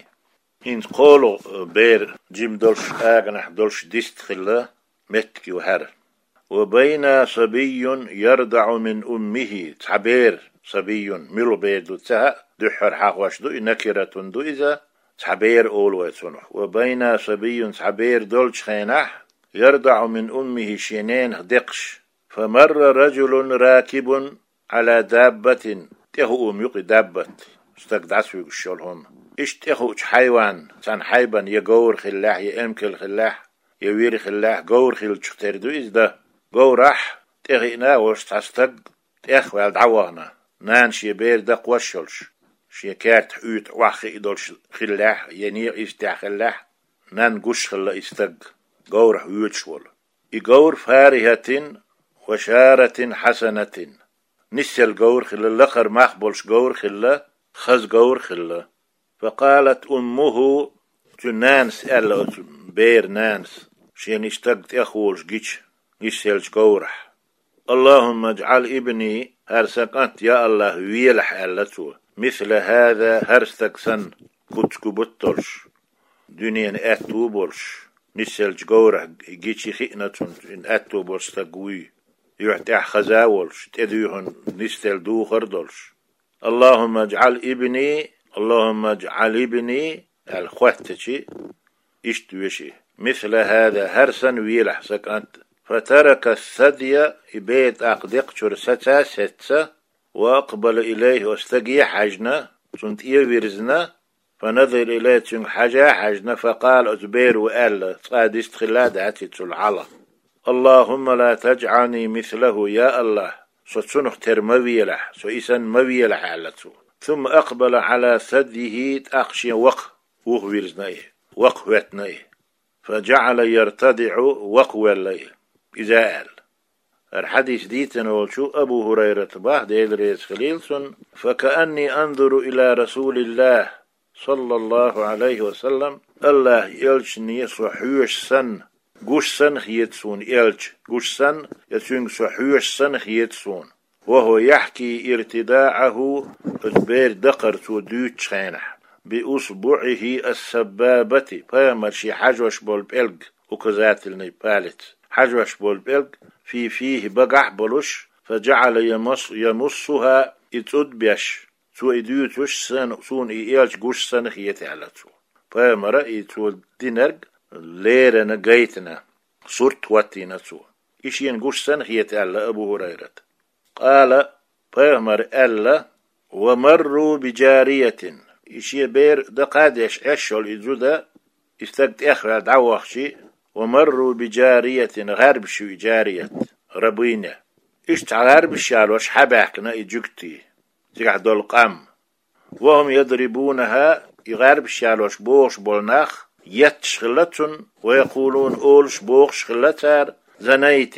ХӀинца кхоалгӀа бер жима долуш, аганахь долуш дист хилла меттиг ю хӀара. وبينا صبي يرضع من أمه, цхьа бер, صبي, муьлха бер ду ца хаьа, дуьххьара хьахош ду и, نكرة ду иза, цхьа бер олу вай цунах. وبينا صبي, цхьа бер долчу хенахь, يرضع من أمه, шен ненах декхаш. فمر رجل راكب على دابة, тӀехуум ю-кх и, دابة, стаг дӀасавуьгуш йолу хӀума. Иштта тӀехуучу хьайванна, цхьана хьайбана, я говр хиллехь, я эмкал хиллехь, я вир хиллехь, говр хиллачух тера ду иза дан. Говрахь тӀехиъна а волуш цхьа стаг тӀех а ваьлла дӀавахана. Нана шен бер дакхош а йолуш, шен кертахь уьйтӀа охьахиъна долуш хиллехь, я некъа йистехь хиллехь, нанна гуш хилла и стаг, говрахь воьдуш волу. И говр فارهة وشارة حسنة. Нисъелла говр хилла, лакхара мах болуш говр хилла, хаза говр хилла. فقالت أمه, цуьнан нанас аьлла, оцу беран нанас, шена и стаг тӀехволуш гича, нисъеллачу говрахь: اللهم اجعل ابني, хӀара сан кӀант, я АллахӀ, велахь, аьлла цо, مثل هذا, хӀара стаг санна, куц-кубат а долуш, дуьненан аьтто а болуш, нисъеллачу говрахь гича хиъна цунна, аьтто болуш стаг вуй, юьхь тӀехь хаза а волуш, тӀедуьйхина нисделла духар а долуш. اللهم اجعل ابني, اللهم اجعل ابني, аьлла хоьттича, иштта веши: مثل هذا, хӀара санна велахь сан кӀант. فترك الثدي, и бер тӀаккха декхачуьра саца а сецна, وأقبل إليه, оцу стаге а хьаьжна, цунна тӀе а вирзина, فنظر إليه, цуьнга хьажа а хьаьжна, فقال, оцу беро аьлла, цкъа а дист хилла а дац и цул хьалха: اللهم لا تجعلني مثله, я АллахӀ, со цунах тера ма велахь, со и санна ма велахь, аьлла цо. ثم أقبل على ثديه, тӀаккха шен ваха вухавирзина и, вакхаветтина и. فجعل يرتضع, вакхавелла и. Иза аьлла. ХӀара хьадис дийцина волчо Абу ХӀурайрата боху, Дела реза хилийла цунна: فكأني أنظر إلى رسول الله صلى الله عليه وسلم, АллахӀан элчане со хьоьжуш санна, гуш санна хета суна элча, гуш санна, я цуьнга со хьоьжуш санна хета суна. وهو يحكي ارتضاعه, оцу беран дакхар цо дуьйцучу хенахь, بإصبعه السبابة, пайхамара шен хьажош болу пӀелг, указательный палец, хьажош болу пӀелг, في فيه, багахь а болуш, فجعل يمص يمصها, и цӀу беш, цо и дуьйцуш санна, суна и элча гуш санна хета аьлла цо. Пайхамара и цо динарг леррина гайтина, сурт хӀоттийна цо. И шена гуш санна хета аьлла Абу ХӀурайрата. قال, пайхамара аьлла: ومروا بجارية, и шен бер дакха а деш Ӏаш йолу и зуда, и стаг тӀехваьлла дӀавахча, ومروا بجارية, гӀарбаш ю и, جارية, рабыня. Иштта гӀарбаш ялош хьабаьхкина и жуьгтий, цигахь долу къам. وهم يضربونها, и гӀарбаш ялош бохуш болу нах етташ хилла цунна, ويقولون, олуш бохуш хилла цара: زنيت,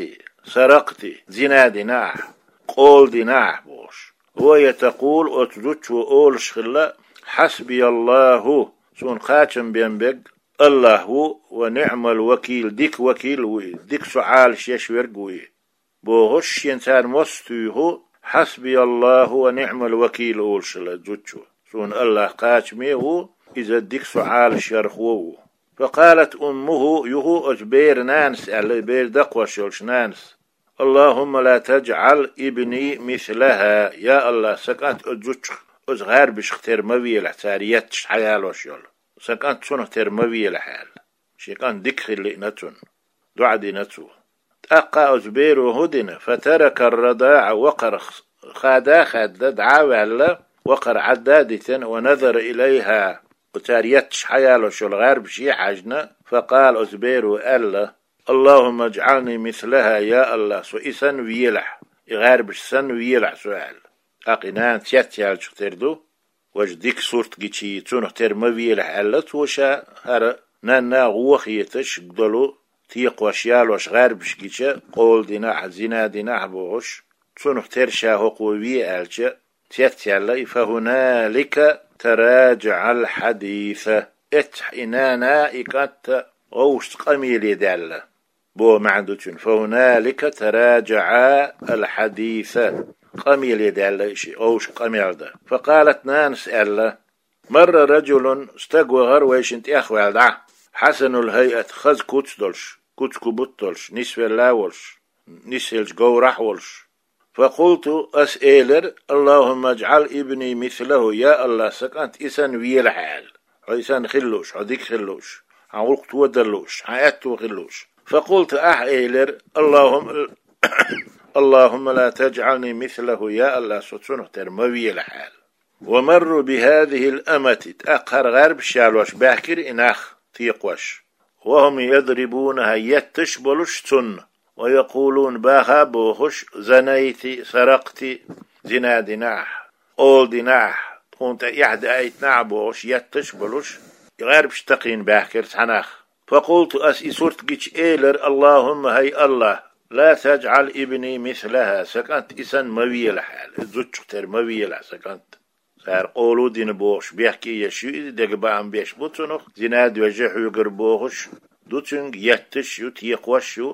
سرقت, зина дина ахь, къола дина ахь бохуш. وهي تقول, оцу зудчо олуш хилла: حسبي الله, суна кхачам бен берг АллахӀ ву, ونعم الوكيل, дика вакил а ву и, дика со Ӏалаш еш верг а ву и. Бохуш, шен цара мостагӀа туьйху: حسبي الله ونعم الوكيل, олуш хилла зудчо. Суна АллахӀ кхачаме а ву, иза дика со Ӏалаш ярхо а ву. فقالت أمه, юха оцу беран нанас аьлла, и бер дакхош йолчу нанас: اللهم لا تجعل ابني مثلها, я АллахӀ, сан кӀант оцу зудчух, оцу гӀарбашах тера ма велахь, цара етташ хьаялош йолу. Сан кӀант цунах тера ма велахь аьлла. Шен кӀант дика хила лиъна цунна. ДоӀа дина цо. ТӀаккха оцу беро хӀун дина? فترك الرضاع, вакхар хада а хаьдда, дӀа а ваьлла, вакхар Ӏадда а дитина, ونظر إليها, оцара етташ хьаялош йолу гӀарбаше а хьаьжна, فقال, оцу беро аьлла: اللهم اجعلني مثلها, я АллахӀ, со и санна велахь, и гӀарбаш санна велахь со, аьлла. ТӀаккха и нана цецъяьллачух тера ду, важа дика сурт гича, цунах тера ма велахь аьлла цо ша, хӀара нанна гӀо хеташ долу, текхош ялош гӀарбаш гича, къола дина ахь, зина дина ахь бохуш, цунах тера ша хӀокхо ве аьлча, цецъяьлла и. فهنالك تراجعا الحديث. Эццахь и нана, и кӀант а гӀовшашца къамеле даьлла. Бо маьӀна ду цуьнан: فهنالك تراجعا الحديث. Къамеле даьлла и шиъ, гӀовшашка къамел дан. فقالت, нанас аьлла: مر رجل, стаг вахара вайшинна тӀехваьлла дӀа, حسن الهيئة, хаза куц долуш, куц-кубат долуш, нисвелла а волуш, нисъеллачу говрахь а волуш. فقلت, ас элира: اللهم اجعل ابني مثله, я АллахӀ, сан кӀант и санна велахь, аьлла. Хьо и санна хила лууш, хьо дика хила лууш, хьан гӀуллакх тодар лууш, хьан аьтто хила лууш. فقلت, ахь элира: اللهم, اللهم لا تجعلني مثله, я АллахӀ, со цунах тера ма велахь, аьлла. ومروا بهذه الأمة, тӀаккха хӀара гӀарбаш ялош баьхкира и нах, текхош. وهم يضربونها, етташ а болуш цунна, ويقولون, баха а бохуш: زنيت, سرقت, зина дина ахь, къола дина ахь, тхуна тӀе эхь даийтина ахь бохуш, етташ а болуш, и гӀарбаш такхийна баьхкира цхьа нах. فقلت, ас и сурт гича элира: اللهم, хӀай АллахӀ, لا تجعل ابني مثلها, сан кӀант и санна ма велахь, аьлла, и зудчух тера ма велахь сан кӀант. Цара къола дина бохуш, бехке еш ю иза, дегабаам беш бу цунах, зина доьжна хьоьгура бохуш ду цуьнга, етташ а ю, текхош а ю,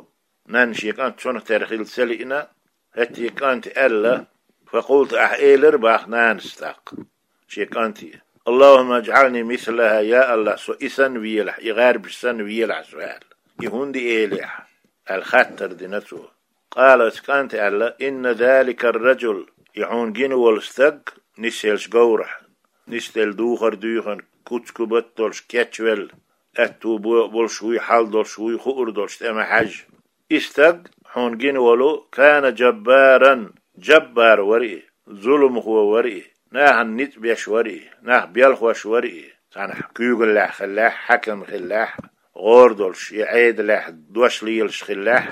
нанна шен кӀант цунах тера хила ца лиъна, хӀетте кӀанта аьлла: فقلت, ахь элира баха нанас тӀаккха шен кӀанте: اللهم اجعلني مثلها, я АллахӀ, со и санна велахь, и гӀарбаш санна велахь со, аьлла. И хӀунда элира ахь? Аьлла хаттар дина цо. قال, оцу кӀанта аьлла: إن ذلك الرجل, и хьуна гина волу стаг, нисъеллачу говрахь, нисделла духар дуьйхина, куц-кубат долуш, кечвелла, аьтту бо-, болуш вуй, хьал долуш вуй, хуур долуш, тӀе ма хьаьжжа. И стаг, хьуна гина волу, كان جبارا, джаббар вара и, зуламхо вара и, нахана ницкъ беш вара и, нах белхош вара и, цхьанхьа куьйгаллехь хиллехь, хьаькам хиллехь, гӀора долуш, я Ӏедалехь дош лелаш хиллехь,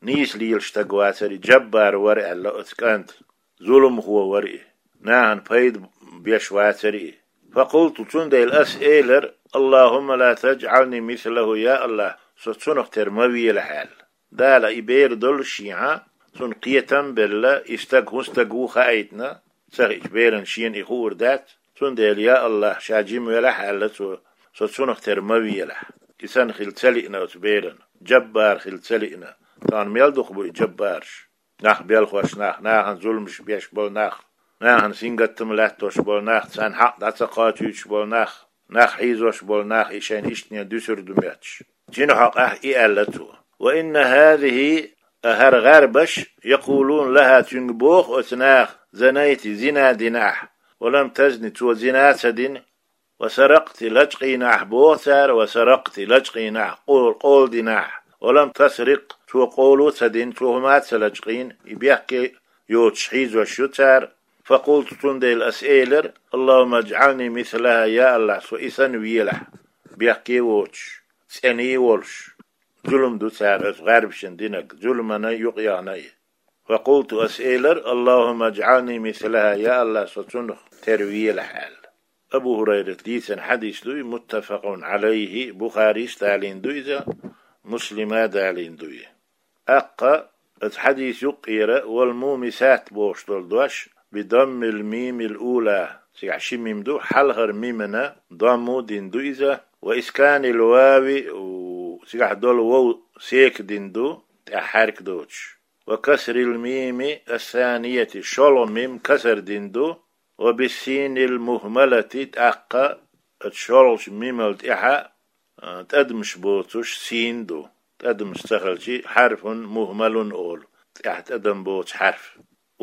нийса лелаш стаг вацара и, джаббар вара аьлла оцу кӀанта, зуламхо вара и, нахана пайда беш вацара и. فقلت, цундела ас элира: «Аллахумма ла таджӀални мислаху, я Аллах, со цунах тера ма велахь», — аьлла. Дала и бер доллушехьа, цунна кхетам а белла, и стаг хӀун стаг ву хаийтина, ца хиъча берана шена и хуур дац, цундела, я Аллах, ша жима велахь, аьлла цо, со цунах тера ма велахь. И санна хила ца лиъна оцу берана, жаббар хила ца лиъна. Тахана мел дукха бу и жаббараш? Нах белхош нах, нахана зуламаш беш болу нах, нахана сингаттам латтош болу нах, царна хьакъ дӀа ца кхачуьйтуш болу нах, нах хьийзош болу нах, и шайна иштта дуьсур ду моьттуш. Цуьнан хьокъехь и аьлла цо: «Ва инна хазихи, а хӀара гӀарбаш, якъулуна лаха, цуьнга боху оцу наха: зинайти, зина дина ахь, ва лам тазни, цо зина ца дина, ва саракъти, лачкъийна ахь, боху цара, ва саракъти, лачкъийна ахь, къо-, къола дина ахь, ва лам тасрикъ, цо къоло ца дина, цо хӀума ца лачкъийна», и бехке йоцуш хьийзош ю цара. Факъулту, цундела ас элира: «Аллахумма аджӀални мислаха, я Аллах, со и санна велахь, бехке воцуш, цӀена волуш». Зулам ду цара оцу гӀарбашна динарг, зуламана юкъаяхна и. Факъулту, ас элира: «Аллахумма аджӀални мислаха, я Аллах, со цунах тера велахь», — аьлла. Абу ХӀурайрата дийцина хьадис ду и, муттафакъун Ӏалайхи, Бухарис далийна ду иза, Муслима далийна ду и. ТӀаккха оцу хьадис юккъера: «Вал мумисат», — бохуш долу дош, «би даммил мимил ула», цигахь ши мим ду, хьалхара мимана дамму дина ду иза, «ва исканил вави», у, цигахь долу вов секан дина ду, тӀехь хьаьрк доцуш. «Ва касрил мими ассанияти», шолгӀа мим касар дина ду, «ва биссинил мухмалати», тӀаккха оцу шолгӀачу мимал тӀехьа, а, тӀадамаш боцуш син ду. ТӀадамаш ца хилчи, хьарфун мухмалун олу, тӀехь тӀадам боцу хьарф.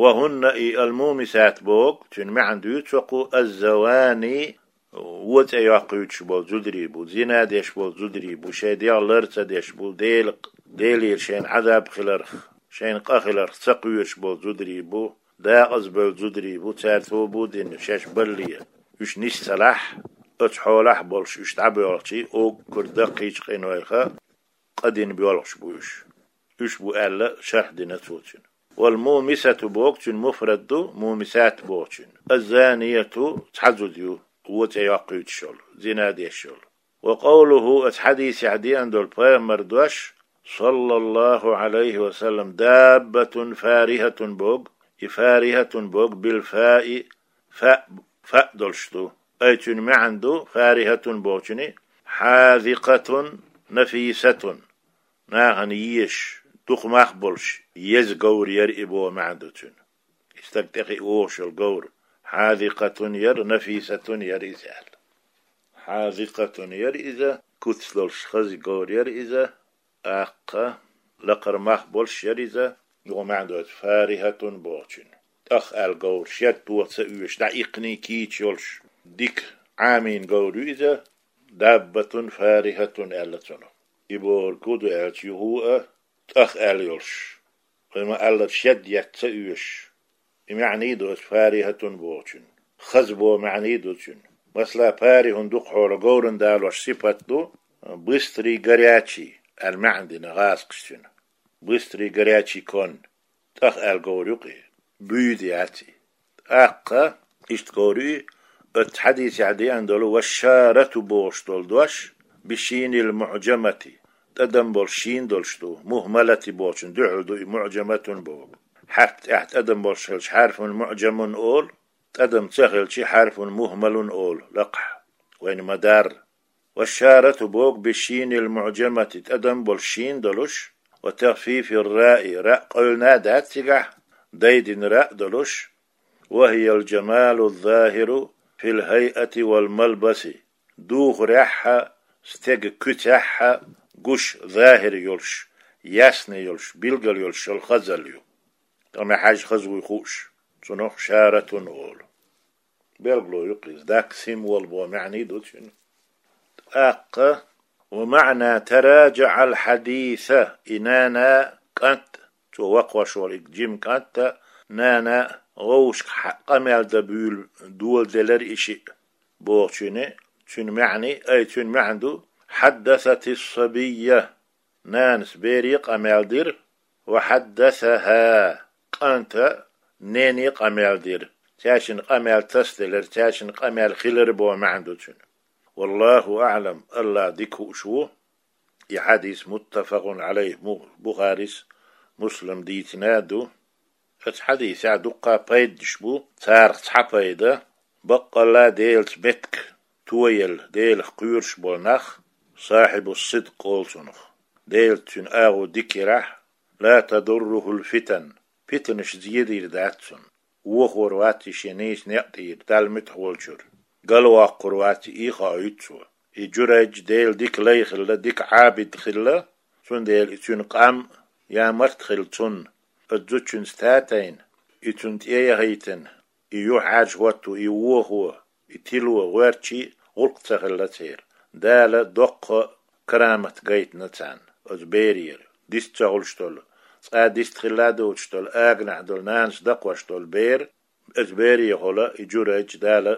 «Ва хӀунна», и ал-мумисат боху, цуьнан маьӀна дуьйцу кху, «аззавани», вон цӀе йоккхуьйтуш болу зударий бу, зина деш болу зударий бу, шайн дегӀ лар ца деш бу, Дела, Делера шайна Ӏазаб хиларх, шайна къа хиларх ца кхоьруш болу зударий бу, декъаза бевлла зударий бу, цара тоба дина шаьш балле. Уьш нис ца лахь, оцу хьолахь болуш уьш дӀабоьлхучий, уггар даккхийчу къинойх къа дина боьлхуш бу уьш. Уьш бу аьлла, шархь дина цо цуьнан. «Вал мумисату» боху, цуьнан муфрад ду, «мумисат» бохучун. «Аззанияту» цхьа зуда ю, вон цӀе йоккхуьйтуш йолу, зина деш йолу. «Ва къовлуху», оцу хьадисехь деана долу пайхамар дош, саллаллаху Ӏалайхи ва саллам, «даббатун фарихатун» боху, и «фарихатун» боху, «бил фаи», фаъ, фаъ долуш ду. Ай цуьнан маьӀна ду, «фарихатун» бохучуьнан: «хьазикъатун нафисатун». Нахана езаш, дукха мах болуш, еза говр яра и боху маьӀна ду цуьнан. И стаг тӀехиъ вогӀуш йолу говр. «Хьазикъатун» яра, «нафисатун» яра иза аьлла. «Хьазикъатун» яра иза, куц долуш хаза говр яра иза, тӀаккха лакхара мах болуш яра иза, юха маьӀна доцу «фарихатун» бохучун. ТӀах аьлла говр, шед тоха ца оьшу, дӀа иккханий кийча йолуш, дика Ӏамийна говр ю иза, «даббатун фарихатун» аьлла цунах. И бохург хӀун ду аьлча, юха а тӀах аьлла йолуш, вай ма-аллара, шед етта ца оьшу. И маьӀний ду оцу «фарихатун» бохучун. Хаза боху маьӀний ду цуьнан. Масала, «фарихун» дукха хьолахь говрана далош сипат ду, «быстрый, горячий» аьлла маьӀна дина гӀазкхаша цуьнан. «Быстрый, горячий конь». ТӀах аьлла говр ю-кх и. Буьйда яц и. ТӀаккха иштта говр ю и, оцу хьадисехь деана долу «ва шарату» бохуш долу дош, «бишинил муӀжамати», тӀадам болуш шин долуш ду, «мухмалати» бохучун дуьхьал ду и, «муӀжаматун» боху. Хьарф тӀехь тӀадам болуш хилча, «хьарфун муӀжамун» олу, тӀадам ца хилча, «хьарфун мухмалун» олу, лакхахь. Вайна ма-дарра. «Ва шарату» боху, «бишинил муӀжамати», тӀадам болуш шин долуш, «ва тахфифир раи», раъ къевлина дац цигахь, дайдина раъ долуш, «ва хиял жамалу захиру фил хайати вал малбаси», духарехь а, стеган куьцехь а гуш, захир йолуш, ясный йолуш, билгал йолуш йолу хазалла ю. Ткъа мел хьаьжна хаза вуй хууш, цунах «шаратун» олу. Билгало ю-кх иза, даккха символ боху маьӀний ду цуьнан. ТӀаккха: «ва маӀна тараджаӀал хьадиса», и нана, кӀант, цо вакхош волу и жима кӀант а, нана, вовшашка хьа-, къамел дан буьйлу доладелира и шиъ бохучуьнан, цуьнан маьӀний, ай цуьнан маьӀна ду: «хьаддасатис сабийя», нанас бере къамел дира, «ва хьаддасаха», кӀанта нене къамел дира. Цаьршинна къамел тасаделира, цаьршинна къамел хилира боху маьӀна ду цуьнан. والله أعلم, АллахӀ дика хууш ву. И хьадис متفق عليه, Бухарис, Муслима дийцина ду. Оцу хьадисехь дуккха пайданаш бу, царах цхьа пайда: баккъалла Делаца меттиг тоелла, Делах кхоьруш болу нах, صاحب الصدق олу цунах, Делаца цуьнан агӀо дика ярахь, لا تضره الفتن, питанаш зен дийр дац цунна. Вохор вац и шен нийса некъа тӀера, Далла муьтӀахь волчуьра. Галвоккхур вац и, и хоуьйту цо. И Джурайдж Делан дика лай хилла, дика Ӏабид хилла, цундела и цуьнан къам ямарт хилла цунна. Оцу зудчуьнца татийна, и цунна тӀе а яхийтина, и юьхьӀаьржа хӀотто, и вохо, и тило гӀоьртича а гӀуллакх ца хилла церан. Дала доккха карамат гайтина царна оцу берера. Дист ца хуьлуш долу, цкъа дист хилла а доцуш долу, аганахь долу, нанас дакхош долу бер, оцу берехула и Джурайдж Дала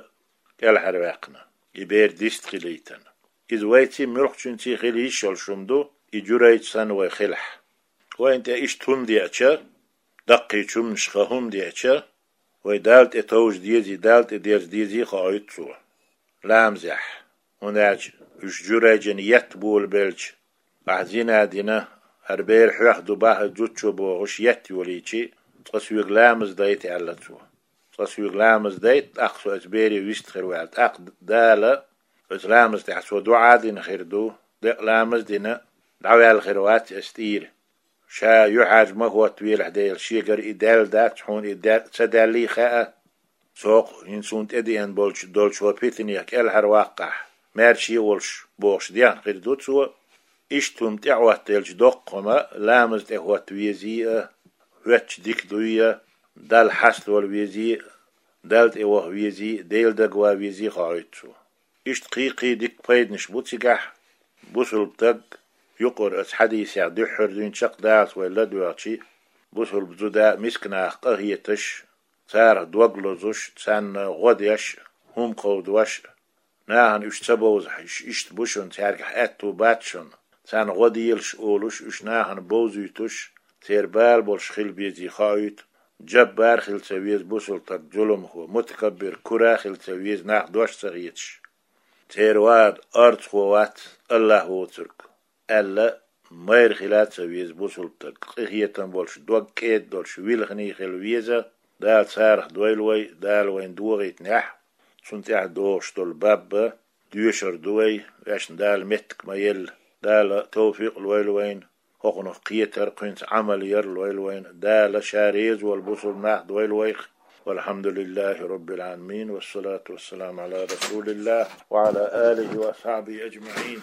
кӀелхьарваьккхина, и бер дист хилийтина. Иза вайций, муьлххачуьнций хила йиш йолуш хӀума ду, и Джурайдж санна вай хилахь. Вайна тӀе иштта хӀума деача, даккхийчу хӀуманашха хӀума деача, вай Далла тӀе товжа дезий, Далла тӀе дерза дезий хоуьйту цо ламазехь. ХӀунда аьлча уьш Джурайджана етта болабелча, ахь зина дина, хӀара бер хьоьх ду боху зудчо бохуш етта йолийча, цкъа соьга ламаз дайта аьлла цо. Цкъа соьга ламаз дайта, тӀаккха со оцу бере вист хир ву аьлла. ТӀаккха Дала оцу ламаза тӀехь цо дуӀа дина хир ду, декъа ламаз а дина, дӀаваьлла хир вац аса тӀера. Ша юьхьӀаьржа ма хӀоттавелахь, Дела, шегара и даьлла дац хьуна, и даь-, ца даьллий хаьа. Цо-кх хӀинца суна тӀедеана болчу, долчу хӀокху питанех кӀелхьарваккхахь, маьрша а волуш, бохуш дехна хир ду цо. Иштта хӀума тӀеӀоттаделча, доккха хӀума ламаза тӀе хӀотта везий а, хӀоьттича дика дуй а, Далла хьаставала везий а, Далла тӀе ваха везий а, Делан дагаван везий а хоуьйту цо. Иштта кхин-кхин дика пайданаш бу цигахь. Бусулба стаг, юкъара оцу хьадисехь дуьххьара дуьйна чекхдаллалц вай ладоьгӀча, бусулба зуда мисканах къахеташ, царах дог лозуш, царна гӀо деш, хӀума кховдош, нахана уьш ца бовзахь, уьш иштта бу шуна, цаьргахь аьтту бац шуна, царна гӀо делаш олуш, уьш нахана бовзуьйтуш, церан бала болуш хила безий хоуьйту. Джаббар хила ца веза бусулба стаг, зуламхо, мутакаббир, кура хила ца веза, нах дош ца хеташ. Церан вада орцахо вац, АллахӀ воцург, аьлла, майра хила ца веза бусулба стаг, къинхетам болуш, дог кӀеда долуш, вилхина хила веза. Дала царах дойла вай, Дала вайна догӀуьйтинехь, цунна тӀехь догӀуш долу баб а доьшур ду вай, вешан Дала меттиг ма елла. Дала тавфикъ лойла вайна, хӀокхунах кхетар, кхуьнца Ӏамал яр лойла вайна. Дала Ша реза волу бусулба нах дойла вайх. والحمد لله رب العالمين، والصلاة والسلام على رسول الله وعلى آله وأصحابه أجمعين.